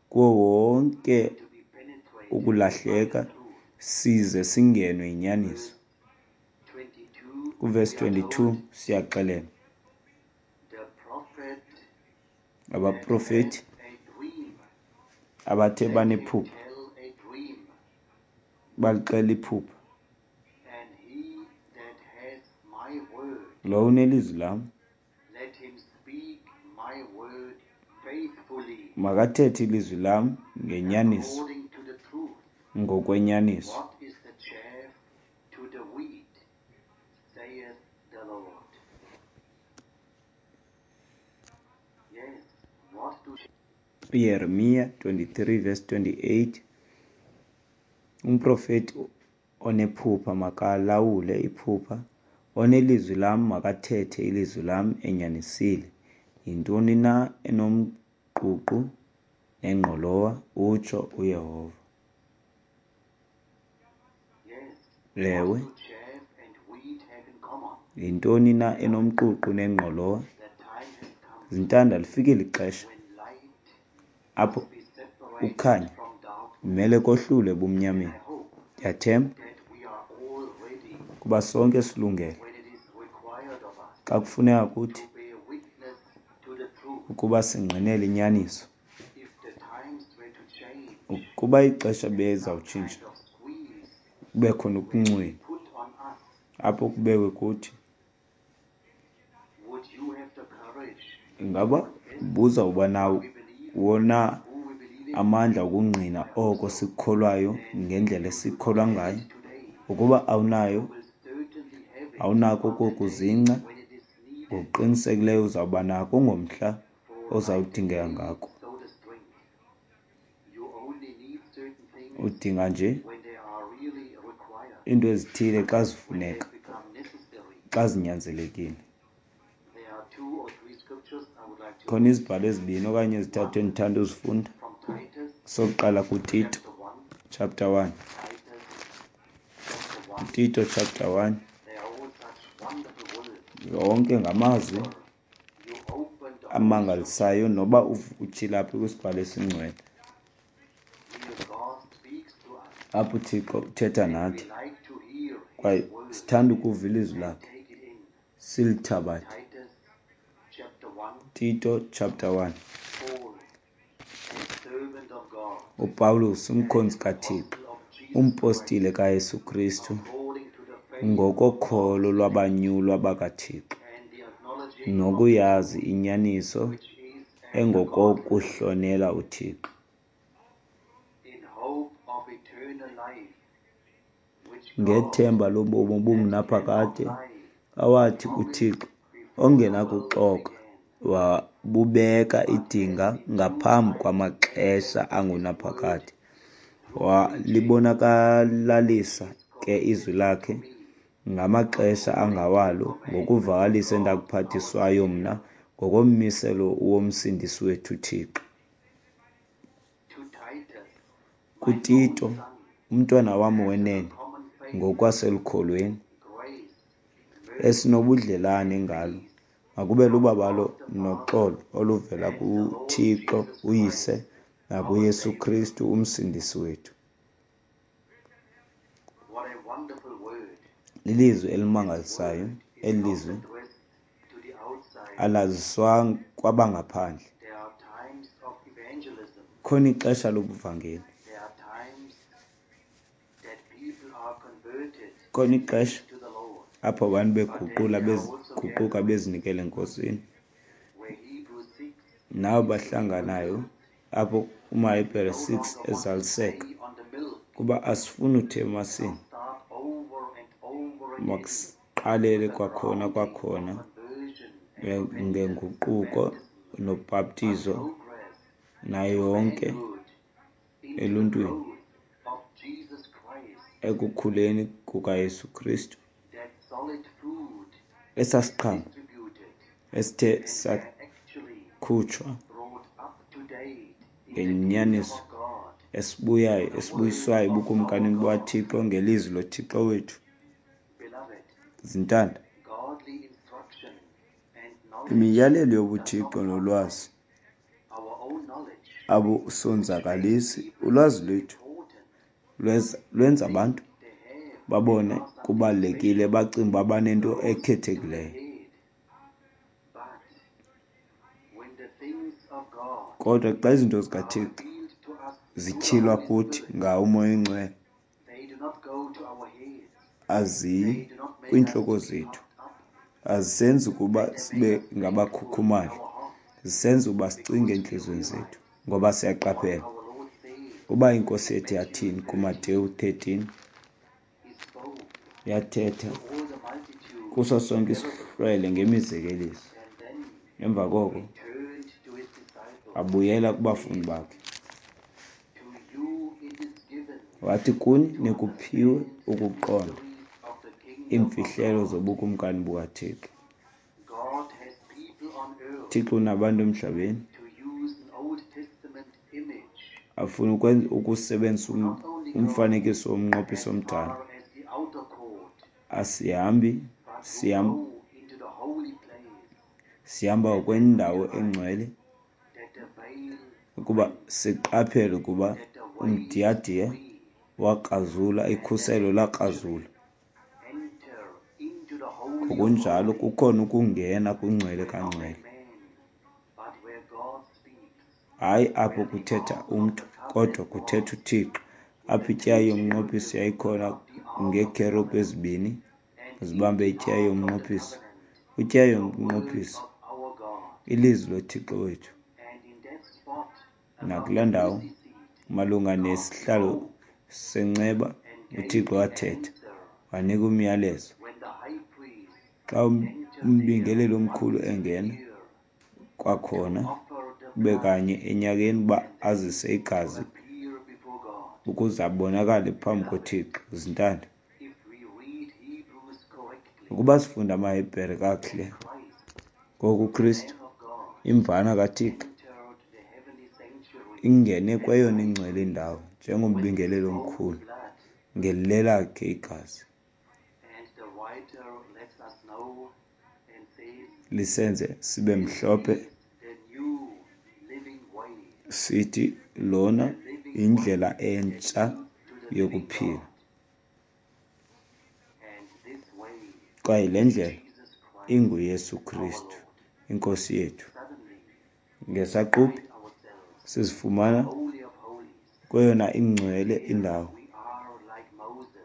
Speaker 1: kuwo wonke ukulahleka size singenwe yinyaniso. Kuvesi twenty-two siyaxelelwa abaprofeti abathe banephupha balixela iphupha. Lowo unelizwi lam makathethe ilizwi lam ngenyaniso, ngokwenyaniso. UYeremiya twenty-three verse twenty-eight, umprofeti onephupha makalawule iphupha, onelizwi lam makathethe ilizwi lam enyanisile. Yintoni na enomququ nengqolowa, utsho uYehova. Ewe, yintoni na enomququ nengqolowa? Zintanda, lifikile ixesha apho ukhanya kumele kohlulwe ebumnyameni. Ndiyathemba kuba sonke silungele xa kufuneka kuthi ukuba singqinele inyaniso. Ukuba ixesha bezawutshintsha kube khona ukuncwina apho kubekwe kuthi, ingaba ubuzawuba nawo wona amandla okungqina oko sikukholwayo ngendlela esikholwa ngayo? Ukuba awunayo, awunako okokuzingca, ngokuqinisekileyo uzawuba nako ngomhla ozawudingeka ngako. Udinga nje iinto ezithile xa zifuneka, xa zinyanzelekile. Khona izibhalo ezibini okanye ezithathu endithanda uzifunda. Sokuqala kuTito
Speaker 2: Chapter one,
Speaker 1: chapter one,
Speaker 2: Titus chapter one.
Speaker 1: Tito chapter one,
Speaker 2: They are all such wonderful words.
Speaker 1: yonke ngamazwi
Speaker 2: You open the Holy
Speaker 1: amangalisayo noba uv- utyhila phi kwisibhalo esingcwele.
Speaker 2: Here God speaks to us.
Speaker 1: Apho uThixo uthetha
Speaker 2: And we
Speaker 1: nathi
Speaker 2: like to hear his
Speaker 1: kwaye
Speaker 2: word
Speaker 1: sithanda ukuva ilizwi
Speaker 2: and
Speaker 1: lakhe
Speaker 2: take it in.
Speaker 1: silithabathe.
Speaker 2: Titus chapter one,
Speaker 1: Tito chapter one.
Speaker 2: Paul, a servant of God,
Speaker 1: uPawulos umkhonzi
Speaker 2: and
Speaker 1: kaThixo,
Speaker 2: apostle of Jesus
Speaker 1: umpostile
Speaker 2: Christ,
Speaker 1: kaYesu Kristu
Speaker 2: according to the faith of
Speaker 1: ngokokholo
Speaker 2: God's
Speaker 1: lwabanyulwa bakaThixo
Speaker 2: and the acknowledging of the
Speaker 1: nokuyazi inyaniso
Speaker 2: which is after godliness,
Speaker 1: engokokuhlonela uThixo,
Speaker 2: in hope of eternal life, which God
Speaker 1: ngethemba lobomi
Speaker 2: that cannot
Speaker 1: obungunaphakade
Speaker 2: lie
Speaker 1: awathi
Speaker 2: promised
Speaker 1: uThixo
Speaker 2: before the world
Speaker 1: ongenakuxoka
Speaker 2: began,
Speaker 1: wabubeka
Speaker 2: but has
Speaker 1: idinga
Speaker 2: in due
Speaker 1: ngaphambi
Speaker 2: time
Speaker 1: kwamaxesha
Speaker 2: manifested his word
Speaker 1: angunaphakade,
Speaker 2: through preaching
Speaker 1: walibonakalalisa
Speaker 2: his
Speaker 1: ke izwi
Speaker 2: commended to
Speaker 1: lakhe
Speaker 2: me,
Speaker 1: ngamaxesha
Speaker 2: according to the
Speaker 1: angawalo
Speaker 2: commandment of
Speaker 1: ngokuvakalisa
Speaker 2: God our
Speaker 1: endakuphathiswayo mna
Speaker 2: Savior.
Speaker 1: ngokommiselo womsindisi wethu uThixo.
Speaker 2: To Titus, my own
Speaker 1: KuTito,
Speaker 2: son,
Speaker 1: umntwana wam
Speaker 2: after the
Speaker 1: wenene
Speaker 2: common faith,
Speaker 1: ngokwaselukholweni
Speaker 2: grace, mercy,
Speaker 1: esinobudlelane
Speaker 2: and
Speaker 1: ngalo,
Speaker 2: peace
Speaker 1: makube
Speaker 2: from
Speaker 1: lubabalo
Speaker 2: God the Father
Speaker 1: noxolo oluvela
Speaker 2: and the Lord
Speaker 1: kuThixo
Speaker 2: Jesus
Speaker 1: uYise
Speaker 2: Christ, our
Speaker 1: nakuYesu
Speaker 2: Savior.
Speaker 1: Kristu umsindisi wethu.
Speaker 2: What a wonderful word.
Speaker 1: Lilizwi
Speaker 2: This
Speaker 1: elimangalisayo
Speaker 2: word is
Speaker 1: eli
Speaker 2: not
Speaker 1: lizwi
Speaker 2: addressed to the outside.
Speaker 1: alaziswa kwabangaphandle.
Speaker 2: There are times of evangelism.
Speaker 1: Khona ixesha lobuvangeli,
Speaker 2: There are times that people are converted
Speaker 1: khona
Speaker 2: and
Speaker 1: ixesha
Speaker 2: lead to the Lord.
Speaker 1: apho abantu
Speaker 2: But then
Speaker 1: beguqula
Speaker 2: there are also
Speaker 1: beziguquka
Speaker 2: gatherings
Speaker 1: bezinikele eNkosini,
Speaker 2: where Hebrews six
Speaker 1: nabo
Speaker 2: is
Speaker 1: bahlanganayo
Speaker 2: fulfilled.
Speaker 1: apho
Speaker 2: We
Speaker 1: umaHebhere
Speaker 2: no
Speaker 1: six
Speaker 2: longer want to
Speaker 1: ezaliseka
Speaker 2: stay on the milk
Speaker 1: kuba asifuni
Speaker 2: and
Speaker 1: uthemasini,
Speaker 2: not start over and over again
Speaker 1: makusiqalele
Speaker 2: with the
Speaker 1: kwakhona
Speaker 2: grounding of
Speaker 1: kwakhona
Speaker 2: conversion and repentance and
Speaker 1: ngenguquko
Speaker 2: baptism, but
Speaker 1: nobhaptizo
Speaker 2: progress
Speaker 1: nayo
Speaker 2: to
Speaker 1: yonke
Speaker 2: manhood into the
Speaker 1: eluntwini
Speaker 2: growth of Jesus Christ.
Speaker 1: ekukhuleni kukaYesu Kristu.
Speaker 2: That solid food
Speaker 1: Esaa
Speaker 2: is
Speaker 1: siqhamo
Speaker 2: distributed
Speaker 1: esithe
Speaker 2: and they are actually
Speaker 1: sakhutshwa
Speaker 2: brought up to date in the kingdom
Speaker 1: ngenyaniso
Speaker 2: of God
Speaker 1: esibuyayo
Speaker 2: through the word
Speaker 1: esibuyiswayo
Speaker 2: of our
Speaker 1: ebukumkanini
Speaker 2: God.
Speaker 1: bukaThixo ngelizwi loThixo wethu.
Speaker 2: Beloved,
Speaker 1: Zintanda,
Speaker 2: godly instruction and knowledge
Speaker 1: imiyalelo
Speaker 2: does not
Speaker 1: yobuThixo
Speaker 2: harm
Speaker 1: nolwazi
Speaker 2: our own knowledge, which makes
Speaker 1: abusonzakalisi.
Speaker 2: people
Speaker 1: Ulwazi
Speaker 2: feel
Speaker 1: lwethu
Speaker 2: important,
Speaker 1: lweza- lwenza
Speaker 2: think
Speaker 1: abantu
Speaker 2: they have and
Speaker 1: babone
Speaker 2: are something
Speaker 1: kubalulekile,
Speaker 2: special,
Speaker 1: bacinge uba banento
Speaker 2: goes to their
Speaker 1: ekhethekileyo.
Speaker 2: head. But when the things of God
Speaker 1: Kodwa xa izinto
Speaker 2: are
Speaker 1: zikaThixo
Speaker 2: revealed to us through the
Speaker 1: zityhilwa
Speaker 2: Holy
Speaker 1: kuthi
Speaker 2: Spirit,
Speaker 1: ngawo uMoya oyiNgcwele,
Speaker 2: they do not go to our heads.
Speaker 1: aziyi
Speaker 2: They do not make us
Speaker 1: kwiintloko
Speaker 2: to be
Speaker 1: zethu,
Speaker 2: puffed up,
Speaker 1: azisenzi ukuba
Speaker 2: but they
Speaker 1: sibe
Speaker 2: make us thankful in
Speaker 1: ngabakhukhumali,
Speaker 2: our hearts
Speaker 1: zisenza uba sicinge
Speaker 2: because we
Speaker 1: entliziyweni
Speaker 2: realize
Speaker 1: zethu, ngoba
Speaker 2: what
Speaker 1: siyaqaphela
Speaker 2: our Lord said
Speaker 1: uba iNkosi
Speaker 2: in
Speaker 1: yethu
Speaker 2: Matthew
Speaker 1: yathini
Speaker 2: thirteen.
Speaker 1: kuMateyu thirteen,
Speaker 2: He spoke
Speaker 1: yathetha
Speaker 2: to all the multitude
Speaker 1: kuso
Speaker 2: in
Speaker 1: sonke
Speaker 2: parables,
Speaker 1: isihlwele ngemizekeliso.
Speaker 2: and then
Speaker 1: Emva koko
Speaker 2: he turned to his disciples
Speaker 1: abuyela
Speaker 2: and
Speaker 1: kubafundi
Speaker 2: said,
Speaker 1: bakhe,
Speaker 2: To you it is given
Speaker 1: wathi, kuni
Speaker 2: to
Speaker 1: nikuphiwe
Speaker 2: understand the
Speaker 1: ukuqonda
Speaker 2: mysteries of the kingdom of
Speaker 1: iimfihlelo
Speaker 2: God.
Speaker 1: zobukumkani bukaThixo.
Speaker 2: God has people on earth,
Speaker 1: Thixo unabantu emhlabeni
Speaker 2: to use an Old Testament image,
Speaker 1: afuna ukwenza ukusebenzisa
Speaker 2: who
Speaker 1: um-
Speaker 2: not only go
Speaker 1: umfanekiso
Speaker 2: as
Speaker 1: womnqophiso omdala.
Speaker 2: far as the outer court,
Speaker 1: Asihambi
Speaker 2: but who
Speaker 1: sihamba
Speaker 2: go into the holy place
Speaker 1: sihamba
Speaker 2: and then
Speaker 1: ngokwendawo
Speaker 2: realize
Speaker 1: engcwele
Speaker 2: that the veil
Speaker 1: ukuba
Speaker 2: rent,
Speaker 1: siqaphele ukuba
Speaker 2: that the way is
Speaker 1: umdiyadiya
Speaker 2: free,
Speaker 1: wakrazula,
Speaker 2: and that
Speaker 1: ikhuselo
Speaker 2: they
Speaker 1: lakrazula.
Speaker 2: actually enter into the Holy of
Speaker 1: Ngokunjalo
Speaker 2: Holies,
Speaker 1: kukhona ukungena kwingcwele
Speaker 2: where not a
Speaker 1: kangcwele,
Speaker 2: man, but where God speaks,
Speaker 1: hayi apho
Speaker 2: where the
Speaker 1: kuthetha
Speaker 2: ark of
Speaker 1: umntu
Speaker 2: the covenant
Speaker 1: kodwa kuthetha
Speaker 2: was,
Speaker 1: uThixo,
Speaker 2: with
Speaker 1: apho
Speaker 2: the
Speaker 1: ityeya
Speaker 2: two
Speaker 1: yomnqophiso
Speaker 2: cherubim
Speaker 1: yayikhona
Speaker 2: above the ark of the
Speaker 1: ngeekherubhi
Speaker 2: covenant,
Speaker 1: ezibini
Speaker 2: and in
Speaker 1: zibambe
Speaker 2: the
Speaker 1: ityeya
Speaker 2: ark of the
Speaker 1: yomnqophiso.
Speaker 2: covenant,
Speaker 1: Kwityeya
Speaker 2: the word
Speaker 1: yomnqophiso
Speaker 2: of our God.
Speaker 1: ilizwi loThixo wethu.
Speaker 2: And in that spot above
Speaker 1: Nakulaa
Speaker 2: the
Speaker 1: ndawo
Speaker 2: mercy seat,
Speaker 1: malunga
Speaker 2: God
Speaker 1: nesihlalo
Speaker 2: spoke
Speaker 1: senceba
Speaker 2: and gave
Speaker 1: uThixo
Speaker 2: the
Speaker 1: wathetha
Speaker 2: answer
Speaker 1: wanika umyalezo.
Speaker 2: when the high priest
Speaker 1: Xa um-
Speaker 2: entered there
Speaker 1: umbingeleli omkhulu
Speaker 2: once a
Speaker 1: engena
Speaker 2: year to
Speaker 1: kwakhona
Speaker 2: offer the
Speaker 1: kube
Speaker 2: blood
Speaker 1: kanye enyakeni uba
Speaker 2: and then
Speaker 1: azise
Speaker 2: to
Speaker 1: igazi
Speaker 2: appear before God.
Speaker 1: ukuze abonakale phambi
Speaker 2: Beloved,
Speaker 1: koThixo. Zintanda,
Speaker 2: if we read Hebrews correctly,
Speaker 1: ukuba sifunda amaHebhere kakuhle,
Speaker 2: then Christ,
Speaker 1: ngoku
Speaker 2: the
Speaker 1: uKristu
Speaker 2: Lamb of God,
Speaker 1: imvana kaThixo
Speaker 2: entered the heavenly sanctuary
Speaker 1: Ingene kweyona ingcwele indawo njengombingeleli omkhulu ngelelakhe igazi lisenze sibe mhlophe, sithi lona yindlela entsha yokuphila. Kwaye le ndlela inguYesu Kristu iNkosi yethu. Ngesaquphe sizifumana kweyona ingcwele indawo.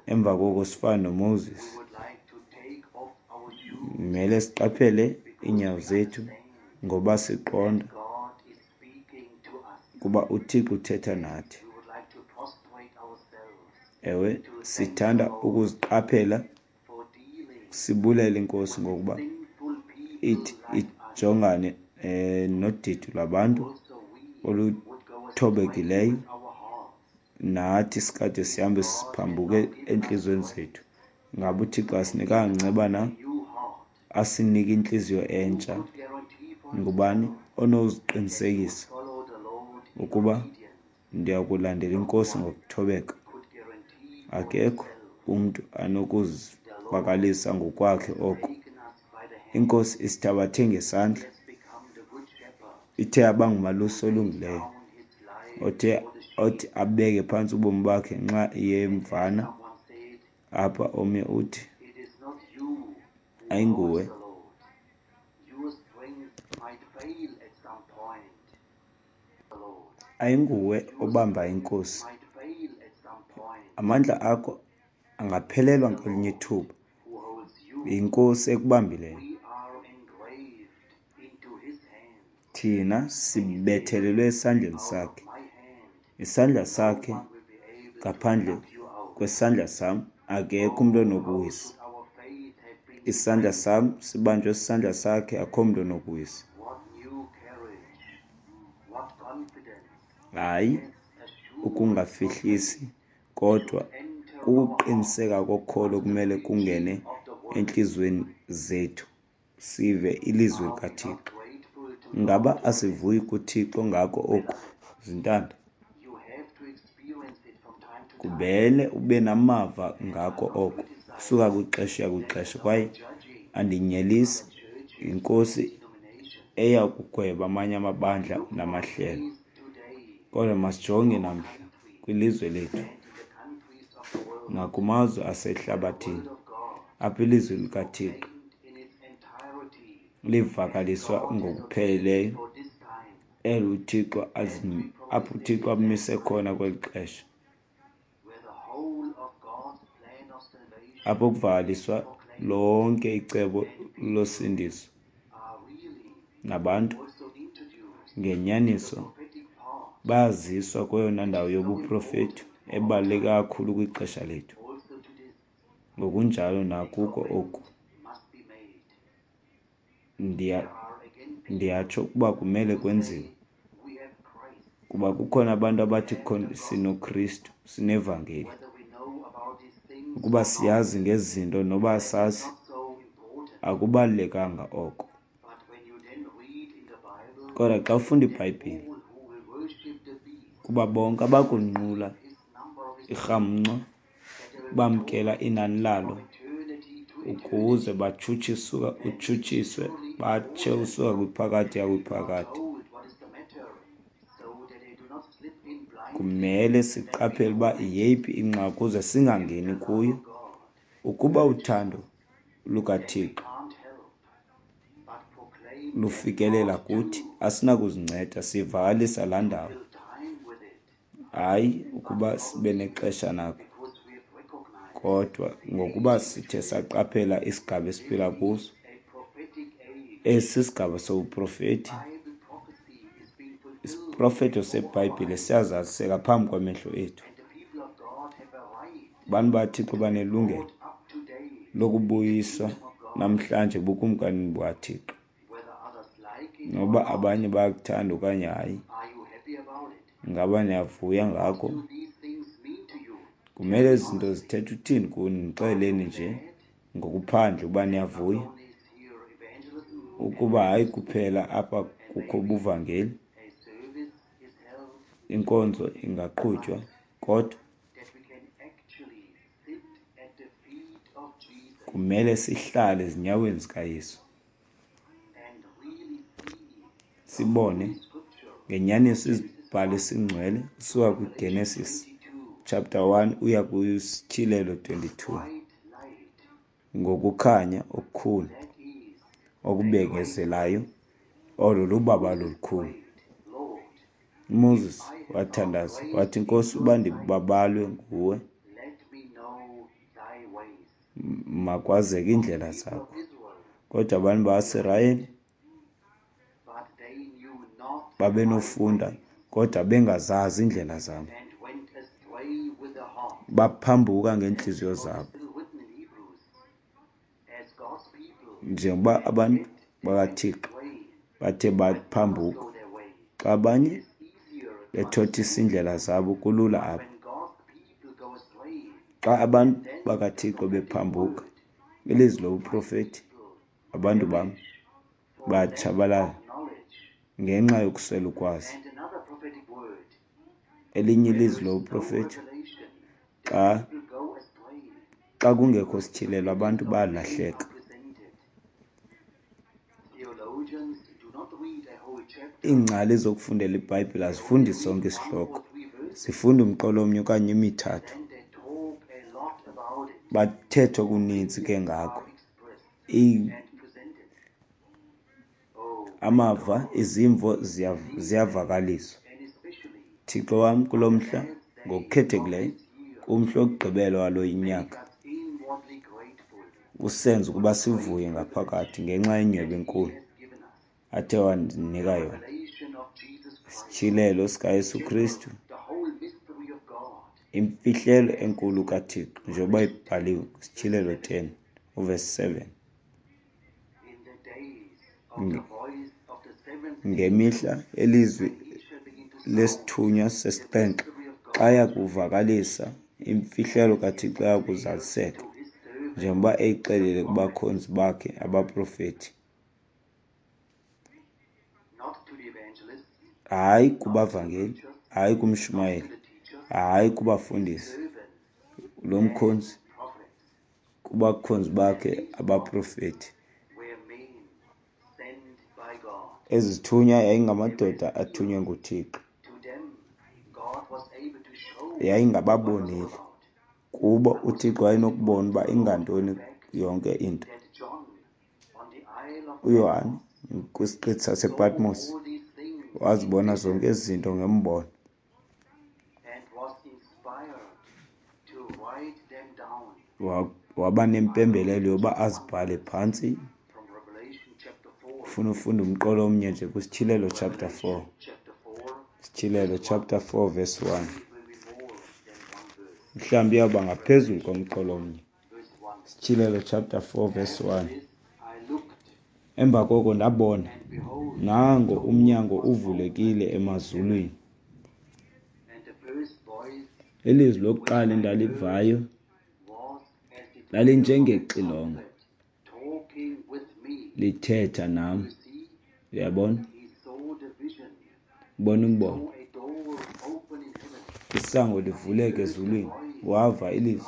Speaker 1: Emva koko sifana noMoses, kumele siqaphele iinyawo zethu ngoba siqonda kuba uThixo uthetha nathi. Ewe, sithanda ukuziqaphela sibulele iNkosi ngokuba ithi ijongane eh, nodidi lwabantu oluthobekileyo. Nathi sikade sihambe siphambuke entliziyweni zethu. Ngaba uThixo asinikanga nceba na? Asinike intliziyo entsha. Ngubani onoziqinisekisa ukuba ndiya kulandela iNkosi ngokuthobeka? Akekho umntu anokuzivakalisa ngokwakhe oko. INkosi isithabathe ngesandla, ithe abangumalusi olungileyo othe othi abeke phantsi ubomi bakhe ngenxa yemvana. Apha omnye uthi ayinguwe ayinguwe obamba iNkosi. Amandla akho angaphelelwa ngelinye ithuba. YiNkosi ekubambileyo. Thina sibethelelwe esandleni sakhe. Isandla sakhe, ngaphandle kwesandla sam akekho umntu onokuwisa. Isandla sam sibanjwe sisandla sakhe, akho mntu onokuwisa. Hayi ukungafihlisi, kodwa kukuqiniseka kokholo kumele kungene entliziyweni zethu sive ilizwi likaThixo. Ngaba asivuyi kuThixo ngako oku, zintanda? Kumele ube namava ngako oko kusuka kwixesha uya kwixesha. Kwaye andinyelisi, yiNkosi eya kugweba amanye amabandla namahlelo. Kodwa masijonge namhla kwilizwe lethu nakumazwe asehlabathini apho ilizwi likaThixo livakaliswa ngokupheleleyo, elo uThixo apho uThixo amise khona kweli xesha, apho kuvakaliswa lonke icebo losindiso nabantu ngenyaniso bayaziswa kweyona ndawo yobuprofethi ebaluleke kakhulu kwixesha lethu. Ngokunjalo nakuko oku ndiyatsho ukuba kumele kwenziwe, kuba kukhona abantu abathi sinoKristu, sinevangeli. Ukuba siyazi ngezi zinto noba asazi, akubalulekanga oko. Kodwa xa ufunda iBhayibhile, kuba bonke abakunqula irhamncwa bamkela inani lalo ukuze batshutshiswe utshutshiswe batshe usuka kwiphakade uya kwiphakade. Kumele siqaphele uba yeyiphi ingxaki ukuze singangeni kuyo. Ukuba uthando lukaThixo lufikelela kuthi, asinakuzinceda, sivakalisa laa ndawo. Hayi ukuba sibe nexesha nako, kodwa ngokuba sithe saqaphela isigaba esiphila kuso. Esi sisigaba sobuprofethi. Isiprofeto seBhayibhile siyazaliseka phambi kwamehlo ethu. Abantu baThixo banelungelo lokubuyiswa namhlanje ebukumkanini bukaThixo, noba abanye bayakuthanda okanye hayi. Ngaba niyavuya ngako? Kumele ezi zinto zithetha uthini kuni? Ndixeleleni nje ngokuphandle uba niyavuya ukuba hayi kuphela apha kukho ubuvangeli Inkonzo ingaqhutywa, kodwa kumele sihlale ezinyaweni zikaYesu, sibone ngenyaniso izibhalo esingcwele usuka kwiGenesis chapter one uya kwiSityhilelo twenty-two, ngokukhanya okukhulu okubekezelayo, olo lubabalo olukhulu. UMoses wathandaza wathi, Nkosi, uba ndibabalwe nguwe, makwazeke iindlela zakho. Kodwa abantu bakwaSirayeli babenofunda, kodwa bengazazi iindlela zam, baphambuka ngeentliziyo zabo. Njengoba abantu bakaThixo bathe baphambuka, xa abanye bethothisa iindlela zabo, kulula apho. Xa abantu bakaThixo bephambuka, ilizwi lobuprofeti, abantu bam bayatshabalala ngenxa yokuswela ukwazi. Elinye ilizwi lobuprofeti, xa xa kungekho sityhilelo, abantu bayalahleka. Iingcali zokufundela iBhayibhile azifundi sonke isihloko, zifunda umqolo omnye okanye emithathu, bathethe okuninzi ke ngako. Amava, izimvo ziyavakaliswa. Thixo wam, kulo mhla ngokukhethekileyo, kumhla wokugqibela walo nyaka, usenze ukuba sivuye ngaphakathi ngenxa yenyhweba enkulu athe wandinika yona, isityhilelo sikaYesu Kristu, imfihlelo enkulu kaThixo, njengoba ibhaliwe kwiSityhilelo ten uvesi seven. Ngemihla elizwi lesithunywa sesixhenxe, xa yakuvakalisa imfihlelo kaThixo, yakuzaliseka njengoba eyixelile kubakhonzi bakhe abaprofeti. Hayi kubavangeli, hayi kumshumayeli, hayi kubafundisi, lo mkhonzi, kubakhonzi bakhe abaprofeti. Ezi zithunywa yayingamadoda athunywe nguThixo, yayingababoneli. Kubo uThixo wayenokubona uba ingantoni yonke into. UYohane kwisiqithi sasePatmos wazibona zonke ezi zinto ngembono, waba nempembelelo yoba azibhale phantsi. Ufuna ufunda umqolo omnye nje kwiSityhilelo chapter four, Sityhilelo chapter four verse one. Mhlawumbi iyawuba ngaphezulu komqolo omnye. Sityhilelo chapter four verse one. Emva koko ndabona, nango umnyango uvulekile emazulwini. Ilizwi lokuqala endalivayo lalinjengexilongo lithetha nam. Uyabona? Ubona umbono, isango livuleke ezulwini, wava ilizwi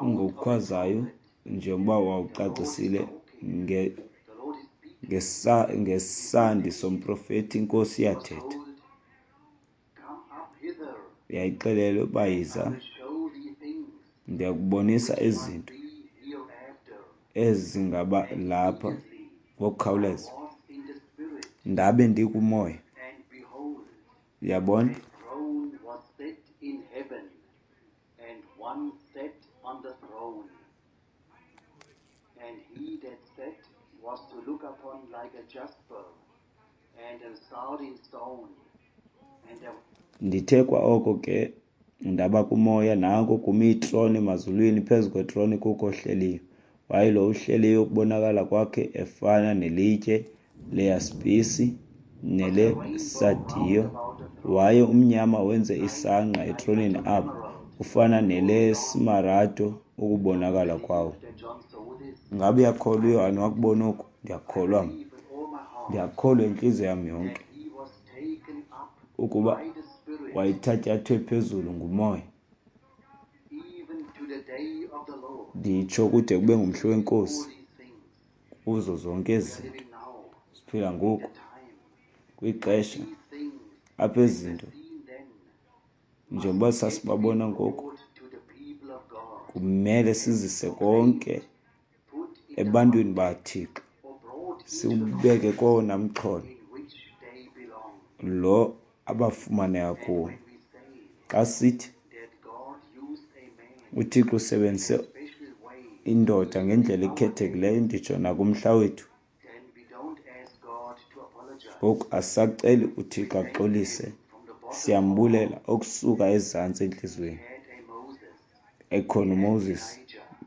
Speaker 1: ngokukhwazayo njengoba wawucacisile nge ngesandi somprofeti, iNkosi iyathetha. Yayixelele uba yiza, ndiyakubonisa izinto ezingaba lapha ngokukhawuleza. Ndabe ndikumoya, uyabona?
Speaker 2: Was to look upon like a jasper and a sardine stone. And there
Speaker 1: Ndithe kwa oko ke ndaba kumoya, nanko kumi itrone emazulwini, phezu kwetrone kukho ohleliyo. Waye lo uhleliyo ukubonakala kwakhe efana nelitye leyaspisi nelesadiyo, waye umnyama wenze isangqa etroneni apho, ufana nelesmarado ukubonakala kwawo. Ngabe uyakholwa uYohane wakubona oku? Ndiyakholwa mna, ndiyakholwa intliziyo yam yonke. Ukuba
Speaker 2: by the Spirit,
Speaker 1: wayethatyathwe phezulu ngumoya,
Speaker 2: even to the day of the Lord.
Speaker 1: Nditsho kude kube ngumhla weNkosi.
Speaker 2: All these things
Speaker 1: Kuzo zonke
Speaker 2: we
Speaker 1: ezi
Speaker 2: are
Speaker 1: zinto
Speaker 2: living now,
Speaker 1: siphila ngoku
Speaker 2: the time.
Speaker 1: kwixesha
Speaker 2: These things
Speaker 1: apha ezi zinto
Speaker 2: seen then
Speaker 1: njengoba sasibabona ngoku
Speaker 2: brought to the people of God,
Speaker 1: kumele sizise konke
Speaker 2: put in the
Speaker 1: ebantwini baThixo,
Speaker 2: or brought into the
Speaker 1: siwubeke kowona mxholo
Speaker 2: in which they belong.
Speaker 1: lo abafumaneka kuwo.
Speaker 2: When we say
Speaker 1: Xa sithi
Speaker 2: that God used a man
Speaker 1: uThixo usebenzise
Speaker 2: special way,
Speaker 1: indoda ngendlela ekhethekileyo, nditsho nakumhla wethu,
Speaker 2: then we don't ask God to apologize.
Speaker 1: ngoku asisaceli uThixo axolise,
Speaker 2: From the bottom
Speaker 1: siyambulela okusuka ezantsi entliziyweni.
Speaker 2: had a Moses,
Speaker 1: Ekhona uMoses,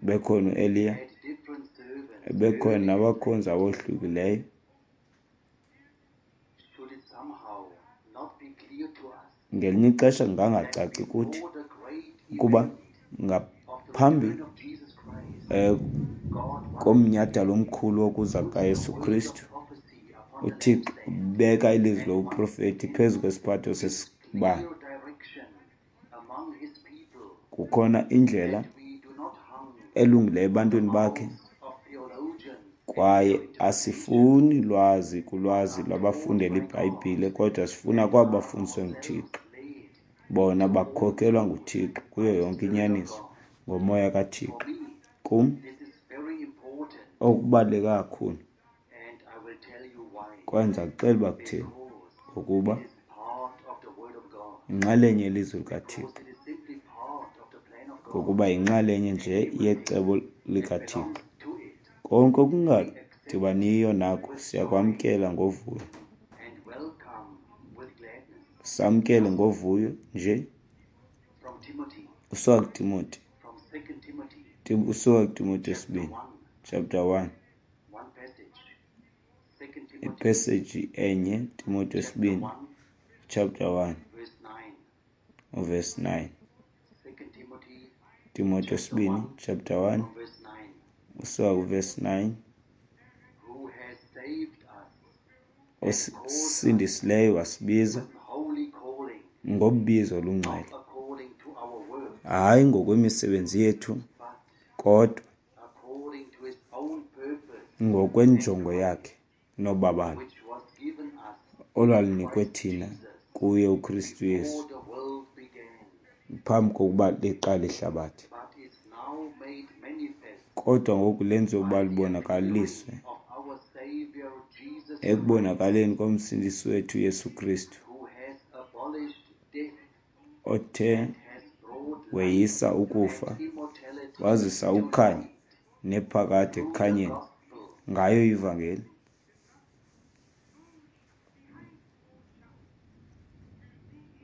Speaker 1: bekhona uEliya,
Speaker 2: had different servants.
Speaker 1: bekhona nabakhonzi abohlukileyo.
Speaker 2: Should it somehow not be clear to us
Speaker 1: Ngelinye ixesha kungangacaci kuthi
Speaker 2: for the great
Speaker 1: ukuba
Speaker 2: event of the
Speaker 1: ngaphambi
Speaker 2: return of Jesus Christ,
Speaker 1: eh,
Speaker 2: God
Speaker 1: komnyhadala omkhulu wokuza kukaYesu Kristu,
Speaker 2: prophecy upon the
Speaker 1: uThixo ubeka ilizwi lobuprofethi phezu kwesiphatho sesibane.
Speaker 2: clear direction among his people.
Speaker 1: Kukhona indlela
Speaker 2: We do not hung
Speaker 1: elungileyo ebantwini bakhe,
Speaker 2: of theologians
Speaker 1: kwaye asifuni lwazi kulwazi lwabafundela iBhayibhile, kodwa sifuna kwabo bafundiswe nguThixo.
Speaker 2: led
Speaker 1: Bona bakhokelwa nguThixo kuyo yonke inyaniso ngomoya kaThixo.
Speaker 2: me.
Speaker 1: Kum
Speaker 2: This is very important,
Speaker 1: okubaluleke kakhulu,
Speaker 2: and I will tell you why.
Speaker 1: kwaye ndiza kuxela uba kutheni,
Speaker 2: Because
Speaker 1: ngokuba
Speaker 2: it is part of the Word of God.
Speaker 1: yinxalenye yelizwi likaThixo,
Speaker 2: Because it is simply part of the plan of God.
Speaker 1: ngokuba yinxalenye nje yecebo likaThixo.
Speaker 2: Belongs to it
Speaker 1: Konke okungadibaniyo nako siyakwamkela ngovuyo,
Speaker 2: and welcome with gladness.
Speaker 1: samkele ngovuyo nje.
Speaker 2: From Timothy,
Speaker 1: Usuka kuTimoti,
Speaker 2: from Second Timothy,
Speaker 1: Tim- usuka kuTimoti wesibini
Speaker 2: one,
Speaker 1: chapter one,
Speaker 2: one passage. Second Timothy,
Speaker 1: ipeseji enye, Timoti
Speaker 2: chapter
Speaker 1: wesibini
Speaker 2: one,
Speaker 1: chapter one
Speaker 2: verse nine.
Speaker 1: uverse nine.
Speaker 2: Second Timothy,
Speaker 1: Timoti wesibini chapter one
Speaker 2: from verse nine.
Speaker 1: usuka kuverse nine,
Speaker 2: Who has saved us
Speaker 1: osindisileyo wasibiza
Speaker 2: with holy calling,
Speaker 1: ngobizo olungcwele,
Speaker 2: not according to our works,
Speaker 1: hayi ngokwemisebenzi yethu,
Speaker 2: but
Speaker 1: kodwa
Speaker 2: according to his own purpose,
Speaker 1: ngokwenjongo yakhe nobabalo
Speaker 2: which was given us
Speaker 1: olwalunikwe thina kuye uKristu Yesu
Speaker 2: before the world began,
Speaker 1: phambi kokuba liqale ihlabathi,
Speaker 2: but is now made manifest
Speaker 1: kodwa ngoku lenziwe ukuba libonakaliswe
Speaker 2: of our Savior Jesus,
Speaker 1: ekubonakaleni komsindisi wethu Yesu Kristu,
Speaker 2: who has abolished death,
Speaker 1: othe
Speaker 2: has brought
Speaker 1: weyisa ukufa,
Speaker 2: immortality
Speaker 1: wazisa ukukhanya nephakade ekukhanyeni
Speaker 2: gospel.
Speaker 1: ngayo ivangeli.